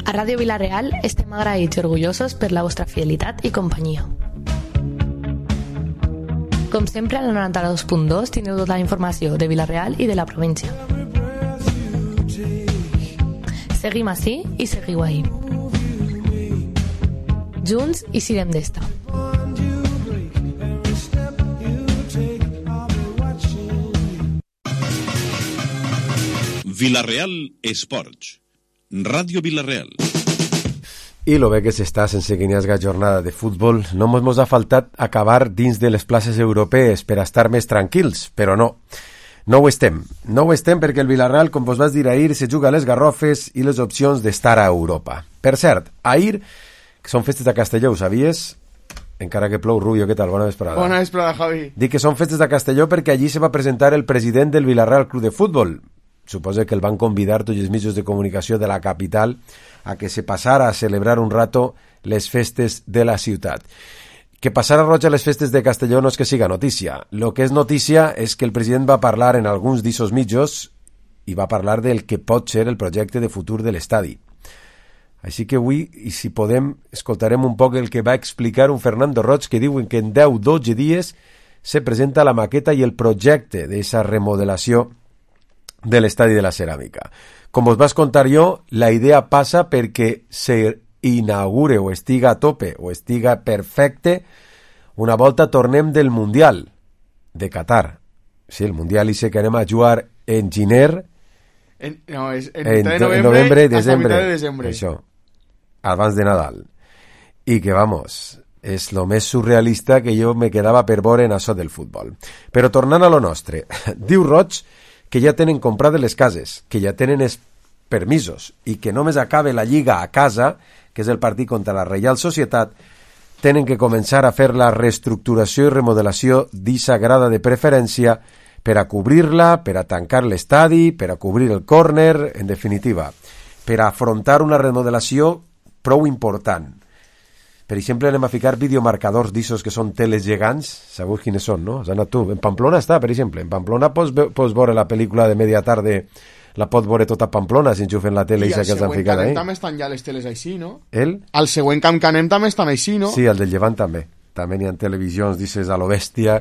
A Ràdio Vila-real estem agraïts i orgullosos per la vostra fidelitat i companyia. Com sempre, a la 92.2 tindreu tota la informació de Vila-real i de la província. Seguim ací i seguiu ahí. Junts i sirem d'esta. Vila-real Esports. Ràdio Vila-real. I lo bé que s'està sense que n'hi hagi jornada de futbol, no mos ha faltat acabar dins de les places europees per a estar més tranquils, però no. No ho estem. No ho estem perquè el Vila-real, com vos vas dir ahir, se juga a les Garrofes i les opcions d'estar a Europa. Per cert, ahir, que són festes de Castelló, ho sabies? Encara que plou, Rubio, què tal? Bona vesprada. Bona vesprada, Javi. Dic que són festes de Castelló perquè allí se va presentar el president del Vila-real Club de Futbol. Suposo que el van convidar tots els mitjans de comunicació de la capital a que se passara a celebrar un rato les festes de la ciutat. Que passara roig a les festes de Castelló no és que siga notícia. Lo que és notícia és que el president va parlar en alguns d'ixos mitjos i va parlar del que pot ser el projecte de futur de l'estadi. Així que avui, i si podem, escoltarem un poc el que va explicar un Fernando Roig que diuen que en 10-12 dies se presenta la maqueta i el projecte d'esa remodelació de l'estadi de la Ceràmica. Com us vas contar jo, la idea passa perquè se inaugure o estiga a tope o estiga perfecte una volta tornem del Mundial de Qatar. Sí, el Mundial i sé que anem a jugar en Giner en novembre, desembre. Això, abans de Nadal. I que, vamos, és lo més surrealista que jo me quedava per veure en això del futbol. Però tornant a lo nostre, diu Roig que ja tenen comprades les cases, que ja tenen els permisos i que només acabe la Lliga a casa, que és el partit contra la Reial Societat, tenen que començar a fer la reestructuració i remodelació d'eixa grada de preferència per a cobrir-la, per a tancar l'estadi, per a cobrir el córner, en definitiva, per a afrontar una remodelació prou important. Per exemple, anem a ficar videomarcadors d'issos que són teles gegants. Sabeu quines són, no? Has anat tu. En Pamplona està, per exemple. En Pamplona pots veure la pel·lícula de media tarde, la pots veure tota Pamplona si enxufen la tele i que els han ficat ahí. I al següent també estan ja les teles així, no? El? Al següent camp que anem també estan així, no? Sí, al del Llevant també. També n'hi ha televisions, dices, a lo bèstia,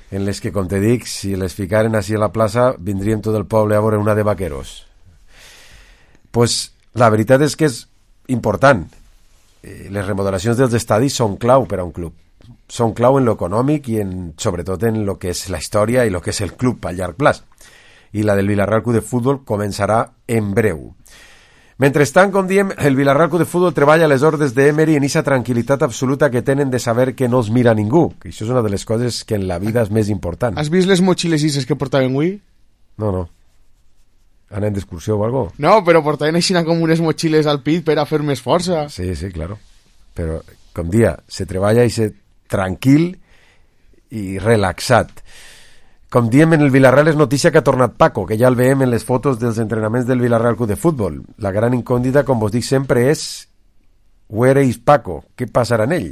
en les que, com te dic, si les ficaren així a la plaça, vindríem tot el poble a veure una de vaqueros. Pues la veritat és que és important. Les remodelacions dels estadis són clau per a un club. Són clau en lo econòmic i sobretot en lo que és la història i lo que és el club a llarg plaç. I la del Vila-real Club de Futbol començarà en breu. Mentrestant, com diem, el Vila-real Club de Futbol treballa a les ordres d'Emery en aquesta tranquil·litat absoluta que tenen de saber que no els mira ningú, que això és una de les coses que en la vida és més important. Has vist les motxiles ises que portaven avui? No. Anem d'excursió o algo? No, però portaven així com unes motxiles al pit per a fer més força. Sí, claro. Però, com dia, se treballa i se tranquil i relaxat. Com diem, en el Vila-real és notícia que ha tornat Paco, que ja el veiem en les fotos dels entrenaments del Vila-real Club de Futbol. La gran incògnita, com vos dic sempre, és where is Paco? Què passarà en ell?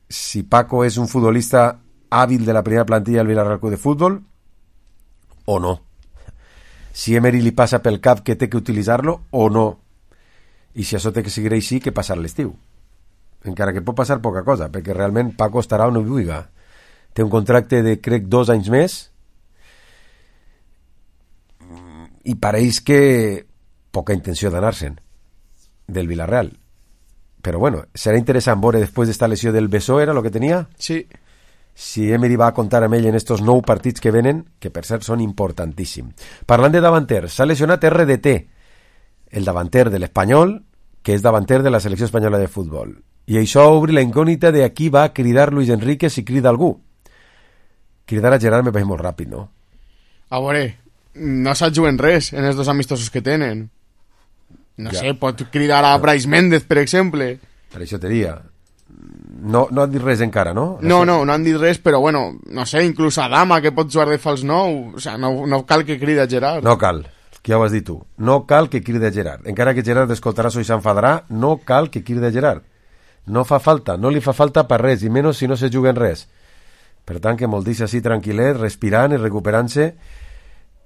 Si Paco és un futbolista hàbil de la primera plantilla del Vila-real Club de Futbol o no. Si Emery li passa pel cap que té que utilitzar-lo o no. I si això té que seguir així, què passar l'estiu? Encara que pot passar poca cosa, perquè realment Paco estarà on ho vulgui. Té un contracte de, crec, 2 anys més i pareix que poca intenció d'anar-se'n del Vila-real. Però bueno, serà interessant veure després d'esta lesió del bessó, era el que tenia? Sí. Si Emery va a comptar amb ell en estos 9 partits que venen, que per cert són importantíssims. Parlant de davanter, s'ha lesionat RDT, el davanter de l'Espanyol, que és davanter de la selecció espanyola de futbol. I això obri la incògnita de a qui va cridar Luis Enrique si crida algú. Cridar a Gerard me pareix molt ràpid, no? A veure, no s'ajuen res en els 2 amistosos que tenen. No sé, pot cridar a Brais Méndez, per exemple. Per això te diria. No han dit res encara, no? No han dit res, però bueno, no sé, inclús Adama, que pot jugar de fals 9, o sea, no cal que cridi a Gerard. No cal, que ja ho has dit tu. No cal que cridi a Gerard. Encara que Gerard escoltarà això i s'enfadarà, no cal que cridi a Gerard. No fa falta, no li fa falta per res, i menys si no se juguen res. Per tant, que molt deixa així tranquil·let, respirant i recuperant-se,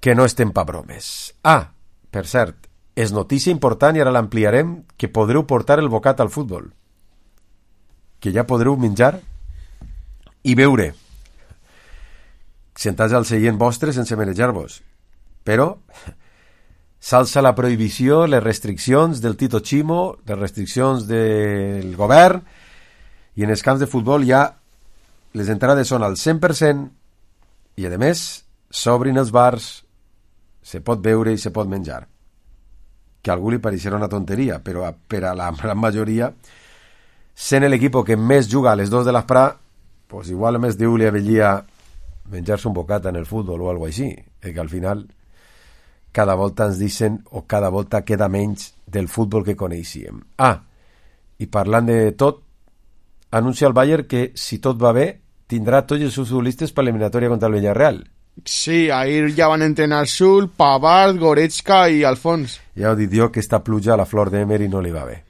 que no estem pa bromes. Ah, per cert, és notícia important i ara l'ampliarem, que podreu portar el bocat al futbol. Que ja podreu menjar i beure sentats al seient vostre sense marejar-vos. Però s'alça la prohibició, les restriccions del Tito Chimo, les restriccions del govern, i en els camps de futbol ja les entrades són al 100% i, a més, s'obrin els bars, se pot beure i se pot menjar. Que a algú li pareixerà una tonteria, però per a la gran majoria, sent l'equip que més juga a les 2 de l'esprà, pues igual més diu li avellia menjar-se un bocat en el futbol o alguna cosa així, que al final cada volta ens dicen o cada volta queda menys del futbol que coneixíem. I parlant de tot, anuncia el Bayern que si tot va bé tindrà tots els seus futbolistes per l'eliminatòria contra el Villarreal. Sí, ahir ja van entrenar Sul, Pavard, Goretzka i Alfons. Ja ho dic jo, que esta pluja a la Flor d'Emery no li va bé.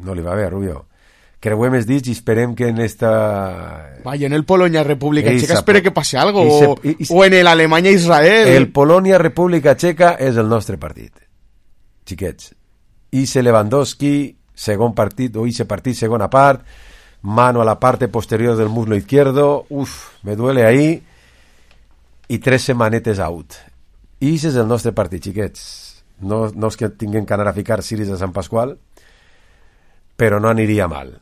No li va bé, Rubio. Creuem els dits i esperem que en esta... Vaya, en el Polonia-República Checa espere que passi algo, o en el Alemanya-Israel. El Polònia-República Checa és el nostre partit, xiquets. Ixe Lewandowski, segon partit, o ixe partit, segona part, mano a la parte posterior del muslo izquierdo, me duele ahí, i 3 setmanetes out. Ixe és el nostre partit, xiquets. No és que tinguem que anar a ficar ciris a Sant Pasqual, però no aniria mal.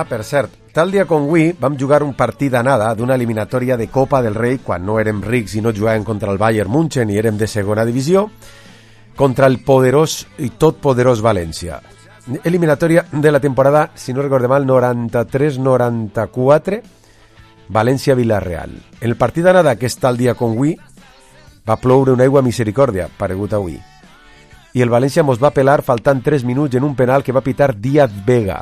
Per cert, tal dia com avui vam jugar un partit d'anada d'una eliminatòria de Copa del Rei quan no érem rics i no jugàvem contra el Bayern München i érem de segona divisió, contra el poderós i tot poderós València. Eliminatòria de la temporada, si no recorde mal, 93-94, València-Villarreal. En el partit d'anada, que és tal dia com avui, va ploure una aigua misericòrdia, paregut avui. I el València mos va pelar faltant 3 minuts en un penal que va pitar Díaz Vega.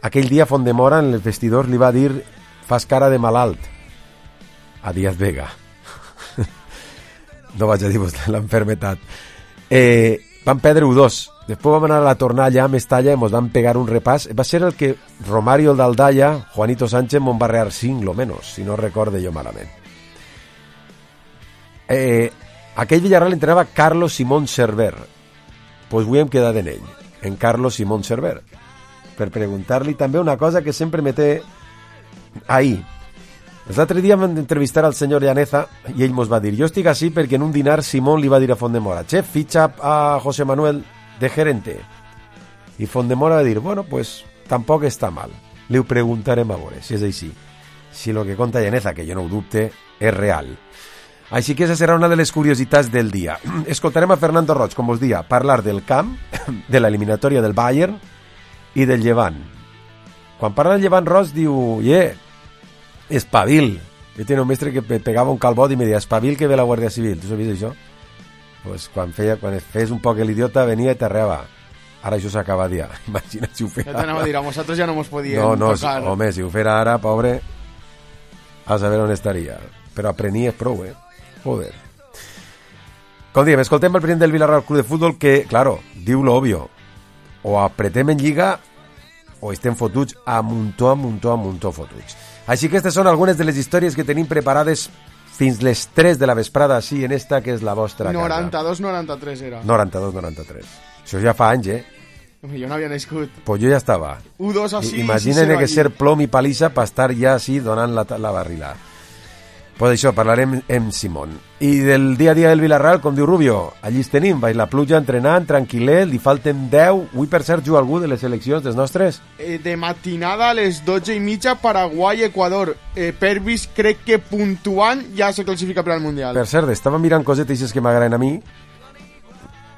Aquell dia Fondemora en els vestidors li va dir fas cara de malalt a Díaz Vega. No vaig a dir-vos l'enfermetat. Vam perdre 1-2. Després vam anar a la tornada allà a Mestalla i mos van pegar un repàs. Va ser el que Romario el d'Aldaya, Juanito Sánchez mon va rear 5 lo menos, si no recorde jo malament. Aquell Villarreal entrenava Carlos Simón Cerver. Pues avui hem quedat en ell, en Carlos Simón Cerver, per preguntar-li també una cosa que sempre me té ahí. L'altre dia vam entrevistar al senyor Llaneza i ell mos va dir, jo estic així perquè en un dinar Simón li va dir a Fondemora, chef, fitxa a José Manuel de gerente. I Fondemora va dir, bueno, pues tampoc està mal. Li ho preguntarem a veure, si és així. Si lo que conta Llaneza, que jo no ho dubte, és real. Així que aquesta serà una de les curiositats del dia. Escoltarem a Fernando Roig, com us dia, parlar del camp, de l'eliminatòria del Bayern i del Llevant. Quan parla del Llevant, Roig diu, espavil. Jo tenia un mestre que pegava un calbot i me deia, espavil que ve la Guàrdia Civil. Tu sabies això? Pues quan fes un poc l'idiota venia i t'arreava. Ara això s'acaba de dir. Imagina si ho fera. Ja t'anava a dir, a nosaltres ja no mos podíem tocar. No, home, si ho fera ara, pobre, a saber on estaria. Però aprenies prou, Joder. Com diem, escoltem el president del Villarreal Club de Futbol que, claro, diu lo obvio. O apretem en lliga o estem fotuts a muntó fotuts. Així que aquestes són algunes de les històries que tenim preparades fins les 3 de la vesprada, així en esta que és la vostra casa. 92-93 era. 92-93. Això ja fa anys, Jo no havia nascut. Pues jo ja estava. 1-2 així. Imagina't que ser plom i palissa per estar ja així donant la barrila. Pues això, parlarem amb Simón. I del dia a dia del Villarreal, com diu Rubio, allí es tenim, baix la pluja, entrenant, tranquil·let, li falten 10. Avui, per cert, juga algú de les seleccions dels nostres? De matinada a les 12:30, Paraguai, Equador. Pervis crec que puntuant ja se classifica per al Mundial. Per cert, estava mirant cosetes que m'agraden a mi.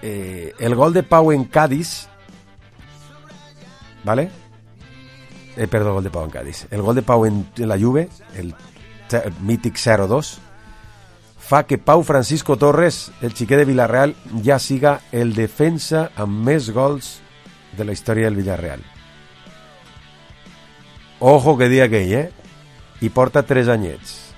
El gol de Pau en Cádiz, ¿vale? Perdó, el gol de Pau en Cádiz. El gol de Pau en la Juve, el mític 0-2, fa que Pau Francisco Torres, el xiquet de Villarreal, ja siga el defensa amb més gols de la història del Villarreal. Ojo que dia aquell, I porta 3 anyets.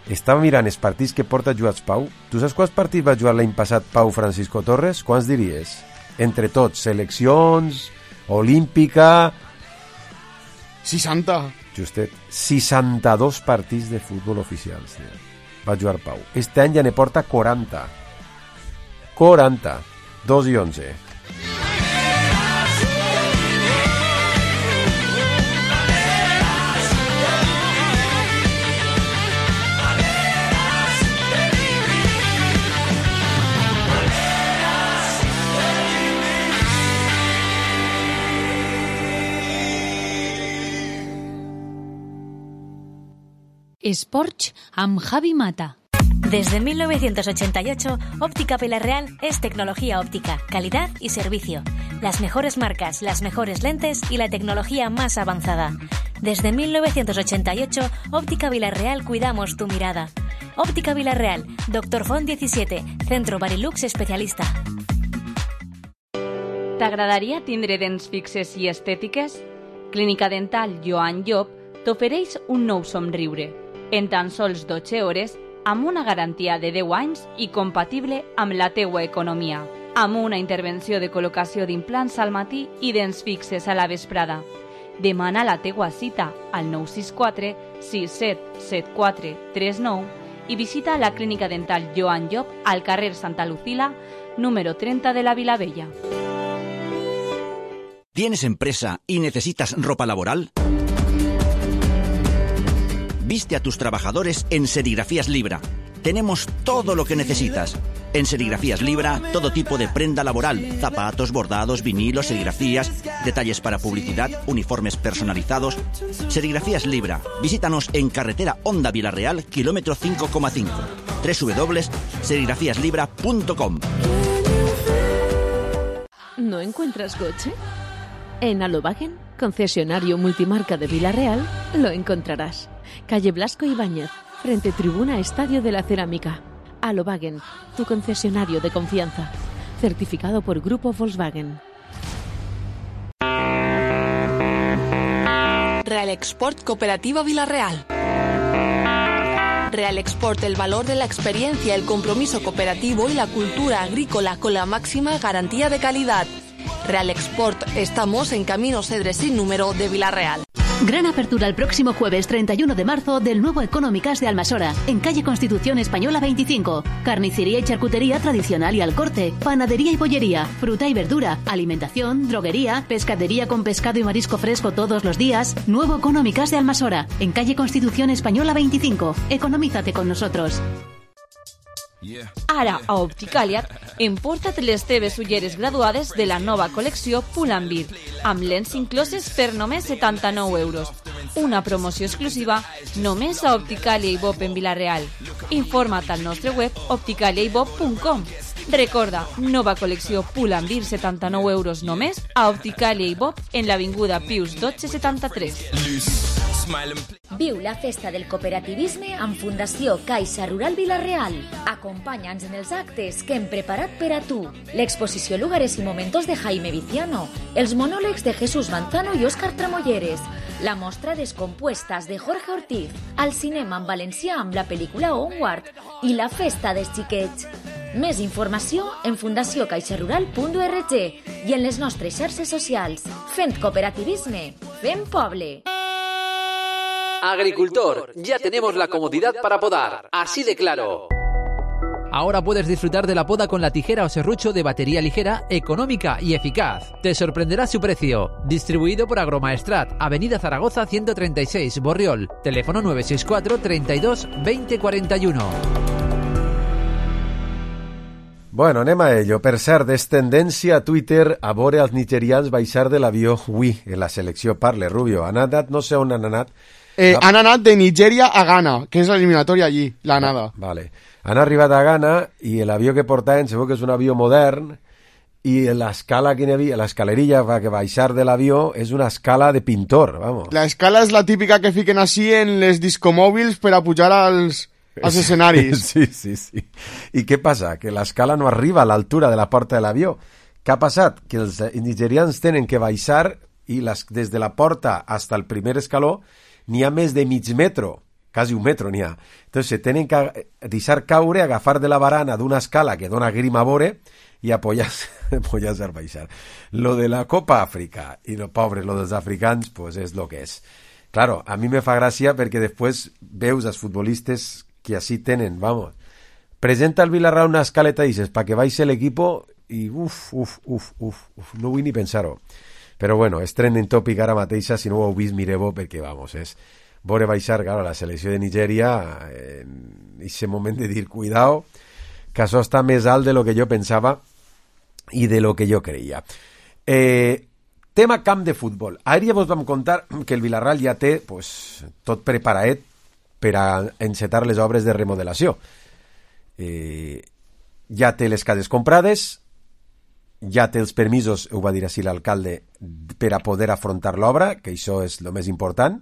Estava mirant els partits que porta jugats Pau. Tu saps quants partits va jugar l'any passat Pau Francisco Torres? Quants diries? Entre tots, seleccions, olímpica... 60. Justet, 62 partits de futbol oficials va jugar Pau. Este any ja ne porta 40. 2 i 11. Esports amb Javi Mata. Desde 1988, Óptica Villarreal es tecnología óptica, calidad y servicio. Las mejores marcas, las mejores lentes y la tecnología más avanzada. Desde 1988, Óptica Villarreal cuidamos tu mirada. Óptica Villarreal, Dr. Font 17, Centro Barilux especialista. T'agradaria tindre dents fixes i estètiques? Clínica Dental Joan Llop t'ofereix un nou somriure. En tan sols 12 hores, amb una garantia de 10 anys i compatible amb la teua economia. Amb una intervenció de col·locació d'implants al matí i dents fixes a la vesprada. Demana la teua cita al 964 6774 39 i visita la Clínica Dental Joan Llop al carrer Santa Lucila, número 30 de la Vilavella. ¿Tienes empresa y necesitas ropa laboral? Viste a tus trabajadores en Serigrafías Libra. Tenemos todo lo que necesitas. En Serigrafías Libra, todo tipo de prenda laboral, zapatos, bordados, vinilos, serigrafías, detalles para publicidad, uniformes personalizados. Serigrafías Libra. Visítanos en carretera Honda Villarreal, kilómetro 5,5. www.serigrafiaslibra.com. ¿No encuentras coche? En Alobagen, concesionario multimarca de Villarreal, lo encontrarás. Calle Blasco Ibáñez, frente tribuna Estadio de la Cerámica. Alobagen, tu concesionario de confianza. Certificado por Grupo Volkswagen. Real Export Cooperativa Villarreal. Real Export, el valor de la experiencia, el compromiso cooperativo y la cultura agrícola con la máxima garantía de calidad. Real Export, estamos en Camino Cedres sin número de Villarreal. Gran apertura el próximo jueves 31 de marzo del nuevo Económicas de Almasora, en calle Constitución Española 25. Carnicería y charcutería tradicional y al corte, panadería y bollería, fruta y verdura, alimentación, droguería, pescadería con pescado y marisco fresco todos los días. Nuevo Económicas de Almasora, en calle Constitución Española 25. Economízate con nosotros. Ara, a Opticaliat, emporta't les teves ulleres graduades de la nova col·lecció Pull&Bear, amb lents incloses per només 79 euros. Una promoció exclusiva només a Opticalia i Bob en Vilareal. Informa't al nostre web opticaliaibob.com. Recorda, nova col·lecció Pull&Bear, 79 euros només a Opticalia i Bob en l'avinguda Pius 1273. Viu la festa del cooperativisme amb Fundació Caixa Rural Vilarreal. Acompanya'ns en els actes que hem preparat per a tu. L'exposició Lugares y Momentos de Jaime Viciano, els monòlegs de Jesús Manzano i Óscar Tramolleres, la mostra Descompuestas de Jorge Ortiz, al cinema en valencià amb la pel·lícula Onward i la festa dels xiquets. Més informació en fundaciocaixarural.org i en les nostres xarxes socials. Fent cooperativisme, fent poble. Agricultor, ya tenemos la comodidad para podar, así de claro. Ahora puedes disfrutar de la poda con la tijera o serrucho de batería ligera, económica y eficaz. Te sorprenderá su precio. Distribuido por Agromaestrat, Avenida Zaragoza 136, Borriol. Teléfono 964 32 20 41. Bueno, anem a ello. Per cert, és tendència a Twitter a veure els nigerians baixar de l'avió avui en la selecció. Parle, Rubio. Han anat, no sé on han anat. Han anat de Nigèria a Ghana, que és l'eliminatòria allí, l'anada. Vale. Han arribat a Ghana i l'avió que portaven segur que és un avió modern i l'escala que hi havia, l'escalerilla que baixar de l'avió és una escala de pintor, vamos. La escala és la típica que fiquen així en les discomòbils per a pujar als escenaris. Sí. I què passa? Que l'escala no arriba a l'altura de la porta de l'avió. Què ha passat? Que els nigerians tenen que baixar i des de la porta fins al primer escaló n'hi ha més de mig metro, quasi un metro n'hi ha. Entonces se tenen que deixar caure, agafar de la barana d'una escala que dona grima a veure i apoyar-se a baixar. Lo de la Copa Àfrica i lo pobre, lo dels africans, pues és lo que és. Claro, a mi me fa gràcia perquè després veus els futbolistes que així tenen, vamos. Presenta el Villarreal una escaleta i dices, pa que baixe l'equipo i uf, no vull ni pensar-ho. Però bueno, és trending topic ara mateixa, si no ho heu vist, mireu-ho, perquè, vamos, és veure baixar, claro, la selecció de Nigèria en aquest moment de dir, cuidao, que això està més alt de lo que jo pensava i de lo que jo creia. Tema camp de futbol. Ahir ja vos vam contar que el Villarreal ja té pues, tot preparadet per a encetar les obres de remodelació. Ja té les cases comprades, ja té els permisos, ho va dir així l'alcalde, per a poder afrontar l'obra, que això és el més important.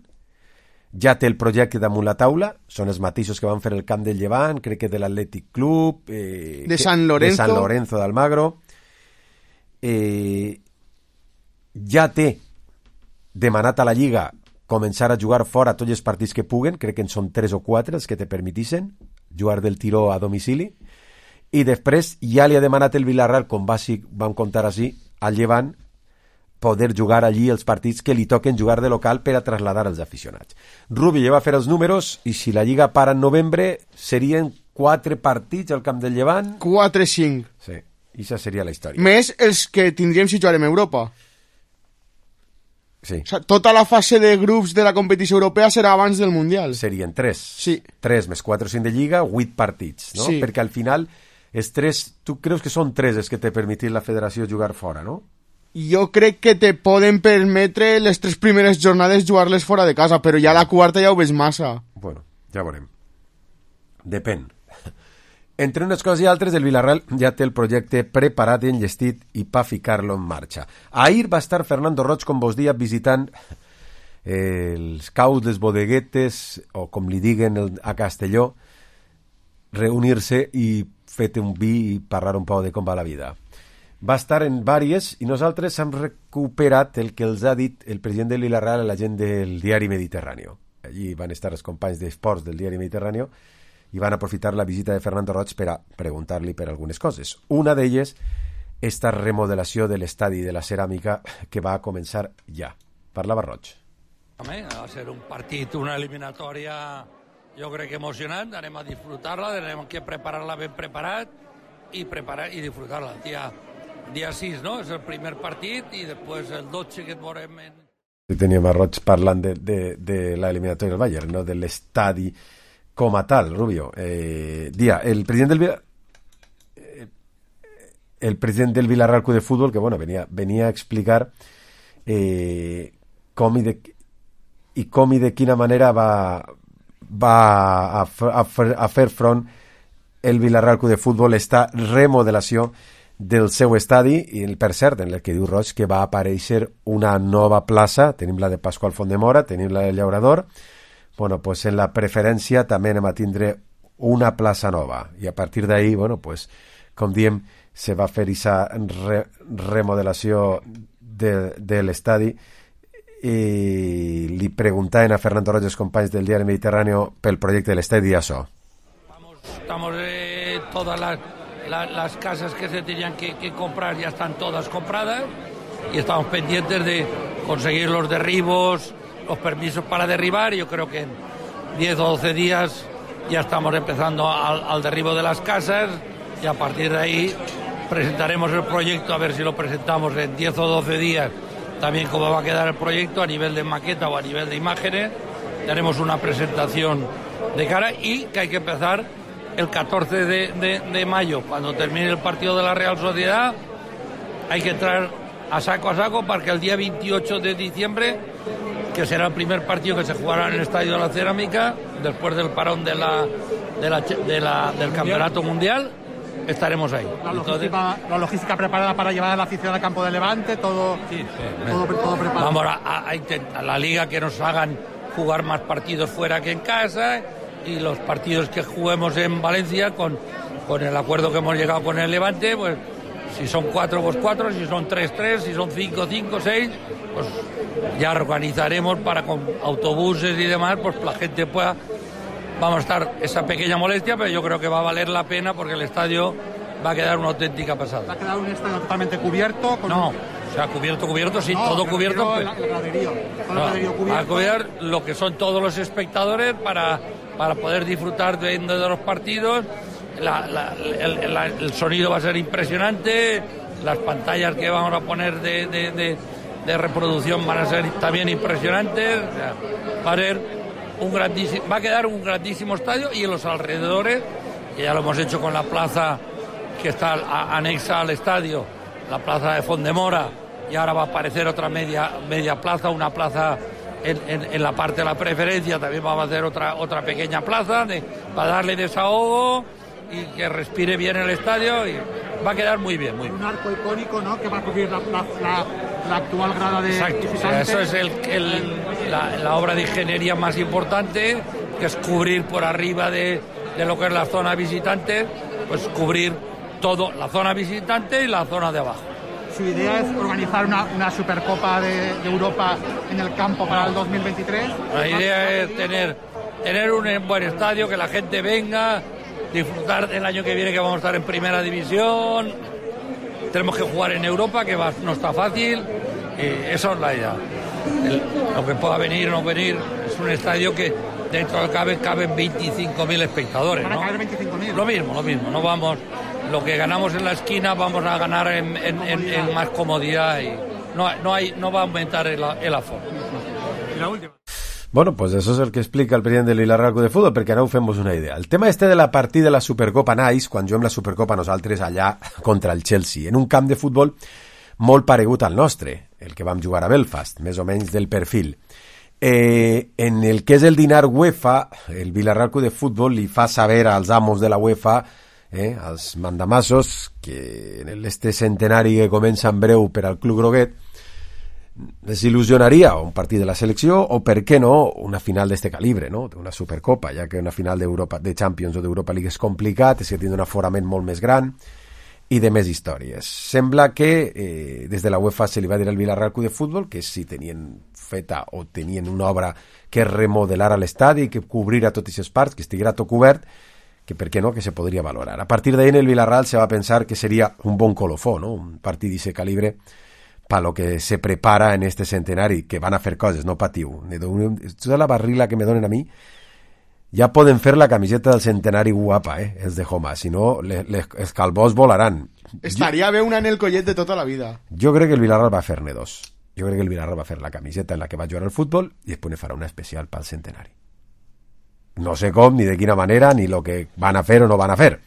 Ja té el projecte damunt la taula, són els mateixos que van fer el camp del Llevant, crec que de l'Atlètic Club, de San Lorenzo d'Almagro. Ja té demanat a la Lliga començar a jugar fora tots els partits que puguen, crec que en són 3 o 4 els que te permetixen jugar del tiró a domicili. I després ja li ha demanat el Villarreal, com vam contar així, al Llevant, poder jugar allí els partits que li toquen jugar de local per a trasladar els aficionats. Rubi ja va fer els números i si la Lliga para en novembre serien 4 partits al camp del Llevant. 4-5. Sí, i això seria la història. Més els que tindríem si jugarem a Europa. Sí. O sea, tota la fase de grups de la competició europea serà abans del Mundial. Serien 3. Sí. 3 més 4 o 5 de Lliga, 8 partits, no? Sí. Perquè al final els 3, tu creus que són 3 els que te permetin la federació jugar fora, no? Jo crec que te poden permetre les 3 primeres jornades jugar-les fora de casa, però ja la quarta ja ho ves massa. Bueno, ja veurem. Depèn. Entre unes coses i altres, el Villarreal ja té el projecte preparat i enllestit i pa ficar-lo en marxa. Ahir va estar Fernando Roig, com vos dia, visitant els caus, les bodeguetes, o com li diguen a Castelló, reunir-se i fer un vi i parlar un poc de com va la vida. Va estar en vàries i nosaltres hem recuperat el que els ha dit el president del Villarreal a la gent del diari Mediterrani. Allí van estar els companys d'esports del diari Mediterrani i van aprofitar la visita de Fernando Roig per a preguntar-li per algunes coses. Una d'elles, esta remodelació de l'estadi de la ceràmica que va començar ja. Parlava Roig. Va ser un partit, una eliminatòria, jo crec que emocionant, anem a disfrutar-la, anem a preparar-la ben preparat i disfrutar-la. Dia 6, no? És el primer partit i després el 12 que et veurem en... Teníem a Roig parlant de la eliminatòria del Bayern, no? De l'estadi com a tal, Rubio. El president del Villarreal Club de Fútbol, que bueno, venia a explicar com i de quina manera va a fer front el Villarreal Club de Fútbol esta remodelació del seu estadi, i per cert, en el que diu Roig que va aparèixer una nova plaça, tenim la de Pasqual Fondemora, tenim la del Llaurador, bueno, pues en la preferència també anem a tindre una plaça nova, i a partir d'ahí, bueno, pues, com diem, se va fer aquesta remodelació de l'estadi, i li preguntaven a Fernando Roig, els companys del diari Mediterrani, pel projecte de l'estadi i això. Estamos todas las casas que se tenían que comprar ya están todas compradas y estamos pendientes de conseguir los derribos, los permisos para derribar, y yo creo que en 10 o 12 días ya estamos empezando al derribo de las casas y a partir de ahí presentaremos el proyecto, a ver si lo presentamos en 10 o 12 días, también cómo va a quedar el proyecto a nivel de maqueta o a nivel de imágenes. Haremos una presentación de cara y que hay que empezar el 14 de mayo, cuando termine el partido de la Real Sociedad. Hay que entrar a saco para que el día 28 de diciembre, que será el primer partido que se jugará en el Estadio de la Cerámica, después del parón del Campeonato Mundial, estaremos ahí. La logística preparada para llevar a la afición al campo de Levante, todo preparado. Vamos a intentar la Liga que nos hagan jugar más partidos fuera que en casa, y los partidos que juguemos en Valencia con el acuerdo que hemos llegado con el Levante, pues si son 4, pues 4, si son 3, si son 5, 6, pues ya organizaremos para con autobuses y demás, pues la gente pueda. Vamos a estar esa pequeña molestia, pero yo creo que va a valer la pena porque el estadio va a quedar una auténtica pasada. ¿Va a quedar un estadio totalmente cubierto? No, o sea, cubierto, sí, todo cubierto. Pues, el graderío cubierto. Va a cubrir lo que son todos los espectadores para poder disfrutar de los partidos. El sonido va a ser impresionante, las pantallas que vamos a poner de reproducción van a ser también impresionantes. O sea, va a quedar un grandísimo estadio, y en los alrededores, que ya lo hemos hecho con la plaza que está anexa al estadio, la plaza de Fondemora, y ahora va a aparecer otra media plaza, una plaza en la parte de la preferencia, también vamos a hacer otra pequeña plaza para darle desahogo y que respire bien el estadio, y va a quedar muy bien. Un arco icónico, ¿no?, que va a cubrir la actual grada de visitantes. O sea, eso es la obra de ingeniería más importante, que es cubrir por arriba de lo que es la zona visitante, pues cubrir todo, la zona visitante y la zona de abajo. Su idea es organizar una Supercopa de Europa en el campo para el 2023. La idea es tener un buen estadio, que la gente venga, disfrutar del año que viene, que vamos a estar en primera división. Tenemos que jugar en Europa, que no está fácil, y eso es la idea. Lo que pueda venir o no venir, es un estadio que dentro del caben 25.000 espectadores, ¿no? ¿Van a caber 25.000? Lo mismo, no vamos. Lo que ganamos en la esquina vamos a ganar en más comodidad, y no va a aumentar el aforo. Y la última. Bueno, pues eso és el que explica el president del Villarreal Club de Futbol, perquè ara ho fem una idea. El tema de la partida de la Supercopa naix quan juguem la Supercopa nosaltres allà contra el Chelsea, en un camp de futbol molt paregut al nostre, el que vam jugar a Belfast, més o menys del perfil. En el que és el dinar UEFA, el Villarreal Club de Futbol li fa saber als amos de la UEFA, als mandamassos, que en este centenari que comença en breu per al Club Groguet, les il·lusionaria un partit de la selecció, o per què no una final d'este calibre, no? Una Supercopa, ja que una final de Champions o d'Europa League és complicat, és que tindrà un aforament molt més gran i de més històries. Sembla que des de la UEFA se li va dir al Villarreal Club de Futbol que si tenien feta o tenien una obra que remodelara l'estadi, que cobrira tots aquests parts, que estiguera tot cobert, que per què no, que se podria valorar. A partir d'ahí en el Villarreal se va pensar que seria un bon colofó, no? Un partit d'aquest calibre para lo que se prepara en este centenari, que van a fer coses, no patiu. Toda la barrila que me donen a mi, ja poden fer la camiseta del centenari guapa, els de Homa, si no, els calbós volaran. Estaria bé una en el collet de tota la vida. Jo crec que el Villarreal va fer-ne dos. Jo crec que el Villarreal va fer la camiseta en la que va jugar al futbol i després ne farà una especial pel centenari. No sé com, ni de quina manera, ni lo que van a fer o no van a fer.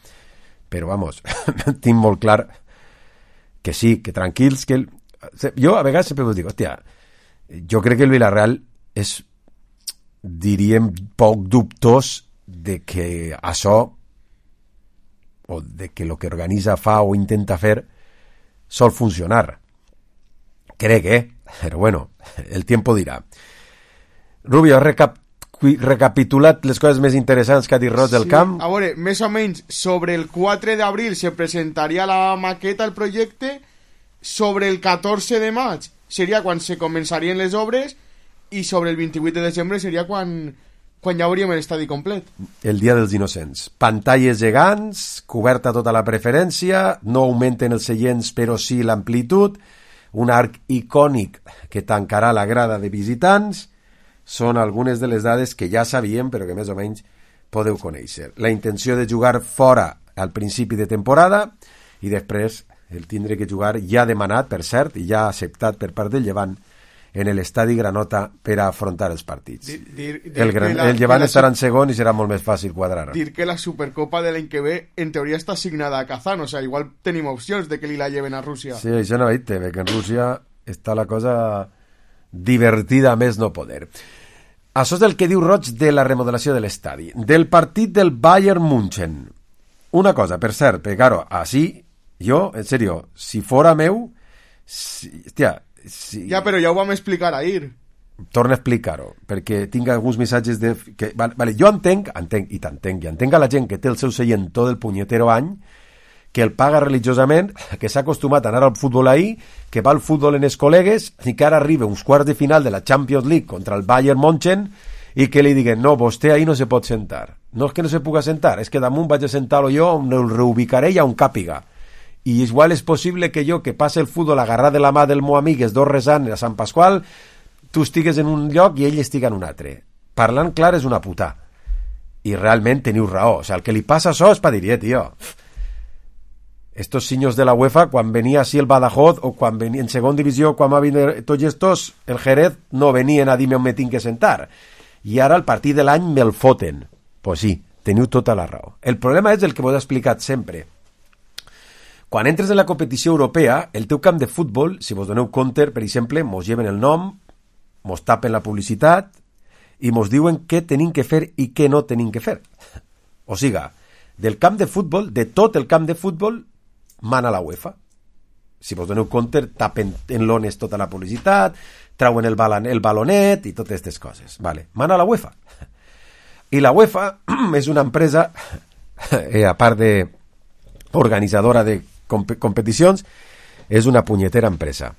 Però, vamos, tinc molt clar que sí, que tranquils, que jo a vegades sempre us dic, hòstia, jo crec que el Villarreal és, diríem, poc dubtós de que això, o de que el que organitza, fa o intenta fer sol funcionar. Crec, però bueno, el tiempo dirà. Rubio, recapitulat les coses més interessants que ha dit Roig del Camp. A veure, més o menys sobre el 4 d'abril se presentaria la maqueta, el projecte. Sobre el 14 de maig seria quan se començarien les obres, i sobre el 28 de desembre seria quan ja hauríem l'estadi complet. El dia dels innocents. Pantalles gegants, coberta tota la preferència, no augmenten els seients però sí l'amplitud, un arc icònic que tancarà la grada de visitants. Són algunes de les dades que ja sabíem però que més o menys podeu conèixer. La intenció de jugar fora al principi de temporada i després el tindre que jugar ja demanat, per cert, i ja acceptat per part del Llevant en l'estadi Granota per a afrontar els partits. El Llevant estarà en segon i serà molt més fàcil quadrar. Dir que la Supercopa de l'any que ve en teoria està assignada a Kazán, o sea, igual tenim opcions de que li la lleven a Rússia. Sí, això no veig, que en Rússia està la cosa divertida a més no poder. Això és el que diu Roig de la remodelació de l'estadi. Del partit del Bayern München. Una cosa, per cert, perquè, claro, així, jo, en serio, si fora meu, hòstia, ja, però ja ho vam explicar ahir. Torna a explicar-ho, perquè tinc alguns missatges de... Que, vale, jo entenc a la gent que té el seu seient tot el punyetero any, que el paga religiosament, que s'ha acostumat a anar al futbol ahir, que va al futbol en els col·legues, i que ara arriba uns quarts de final de la Champions League contra el Bayern München, i que li diguen, no, vostè ahir no se pot sentar. No és que no se puga sentar, és que damunt vaig a sentar-lo jo, on el reubicaré i on càpiga. I igual és possible que jo, que passe el futbol agarrat de la mà del meu amic, els dos resant a Sant Pasqual, tu estigues en un lloc i ell estiga en un altre. Parlant clar és una puta. I realment teniu raó. O sea, el que li passa això és per dir, tio, estos senyors de la UEFA, quan venia així el Badajoz, o quan venia en segon divisió, quan va venir tots estos, el Jerez, no venien a dir-me on me tinc que sentar. I ara, al partit de l'any, me'l foten. Pues sí, teniu tota la raó. El problema és el que vos he explicat sempre. Quan entres en la competició europea, el teu camp de futbol, si vos doneu compte, per exemple, mos lleven el nom, mos tapen la publicitat i mos diuen què tenim que fer i què no tenim que fer. O siga, del camp de futbol, de tot el camp de futbol, mana la UEFA. Si vos doneu compte, tapen en lones tota la publicitat, trauen el balonet i totes aquestes coses. Vale. Mana la UEFA. I la UEFA és una empresa, a part de organitzadora de competicions, és una punyetera empresa.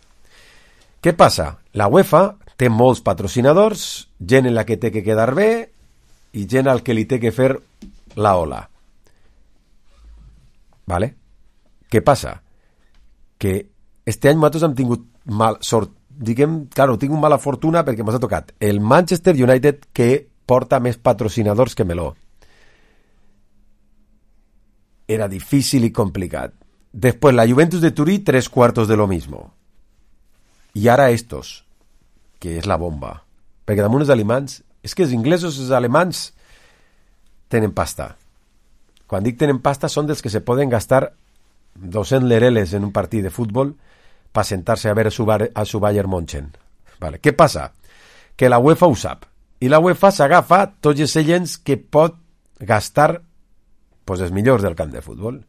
Què passa? La UEFA té molts patrocinadors, gent en la que té que quedar bé i gent al que li té que fer la ola. Vale? Què passa? Que este any nosaltres hem tingut mal sort, diguem, claro, tinc una mala fortuna perquè m'ha tocat el Manchester United, que porta més patrocinadors que meló. Era difícil y complicado. Después la Juventus de Turí, 3/4 de lo mismo. Y ahora estos, que es la bomba. Perquè damunt els alemans, és que els inglesos i els alemans tenen pasta. Quan dic tenen pasta són dels que se poden gastar 200 lereles en un partit de futbol per sentar-se a veure a su Bayern München. Vale. Què passa? Que la UEFA ho sap. I la UEFA s'agafa tots els seients que pot gastar pues els millors del camp de futbol.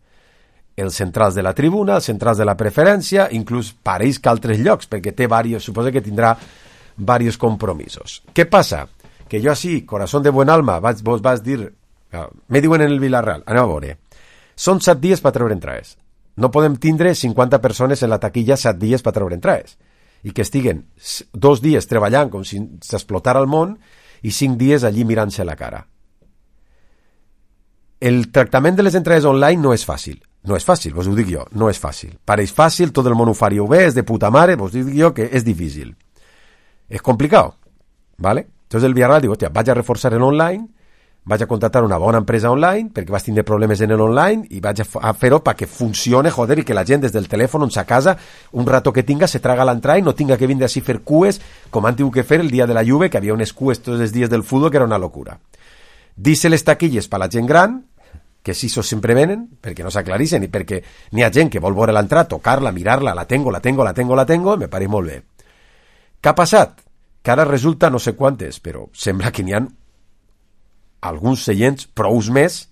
Els centrals de la tribuna, els centrals de la preferència, inclús pareix que altres llocs, perquè té varios, suposo que tindrà varios compromisos. Què passa? Que jo així, corazón de buen alma, vos vas dir, me diuen en el Villarreal, anem a veure, són 7 dies per treure entrades. No podem tindre 50 persones en la taquilla 7 dies per treure entrades. I que estiguen 2 dies treballant com si s'explotara el món i 5 dies allí mirant-se la cara. El tractament de les entrades online no és fàcil. No és fàcil, vos ho dic jo, no és fàcil. Pareix fàcil, tot el món ho faríeu bé, és de puta mare, vos dic jo que és difícil. És complicat, ¿vale? Entonces el Villarreal diu, hòstia, vaig a reforçar en online, vaig a contratar una bona empresa online, perquè vas tindre problemes en el online, i vaig a fer-ho perquè funcione, joder, i que la gent des del telèfon, on sa casa, un rato que tinga, se traga l'entrada i no tinga que vindre així fer cues, com han tingut que fer el dia de la Juve, que havia unes cues tots els dies del futbol, que era una locura. Dice les taquilles per la gent gran, que si això sempre venen, perquè no s'aclarixen i perquè n'hi ha gent que vol veure l'entrada, tocar-la, mirar-la, la tengo, me pareix molt bé. Què ha passat? Que ara resulta no sé quantes, però sembla que n'hi ha alguns seients, prous més,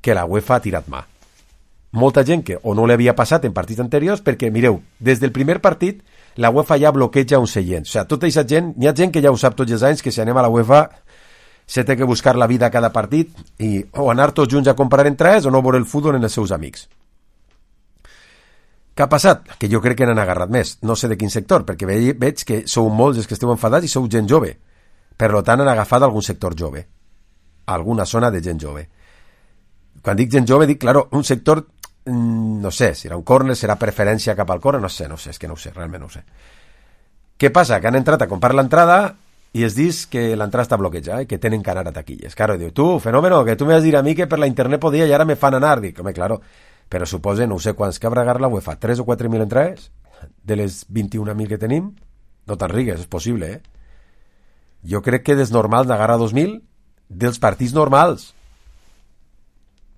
que la UEFA ha tirat mà. Molta gent que o no li havia passat en partits anteriors, perquè, mireu, des del primer partit la UEFA ja bloqueja un seient. O sigui, tota aquesta gent, n'hi ha gent que ja ho sap tots els anys, que si anem a la UEFA se té que buscar la vida a cada partit i o anar tots junts a comprar entrades o no veure el futbol en els seus amics. Què ha passat? Que jo crec que n'han agarrat més. No sé de quin sector, perquè veig que sou molts els que esteu enfadats i sou gent jove. Per tant, han agafat algun sector jove. Alguna zona de gent jove. Quan dic gent jove, dic, claro, un sector, no sé, serà un córner, serà preferència cap al córner, no sé, és que no ho sé, realment no ho sé. Què passa? Que han entrat a comprar l'entrada i es dius que l'entrada està bloquejada, que tenen que anar a taquilles. Claro, diu, tu, fenómeno, que tu me vas dir a mi que per la internet podia i ara me fan anar. Dic, home, claro, però suposa, no sé quants que haurà agarrat la UEFA, 3 o 4.000 entrades de les 21.000 que tenim? No te'n rigues, és possible, eh? Jo crec que des normal n'agarra 2.000 dels partits normals.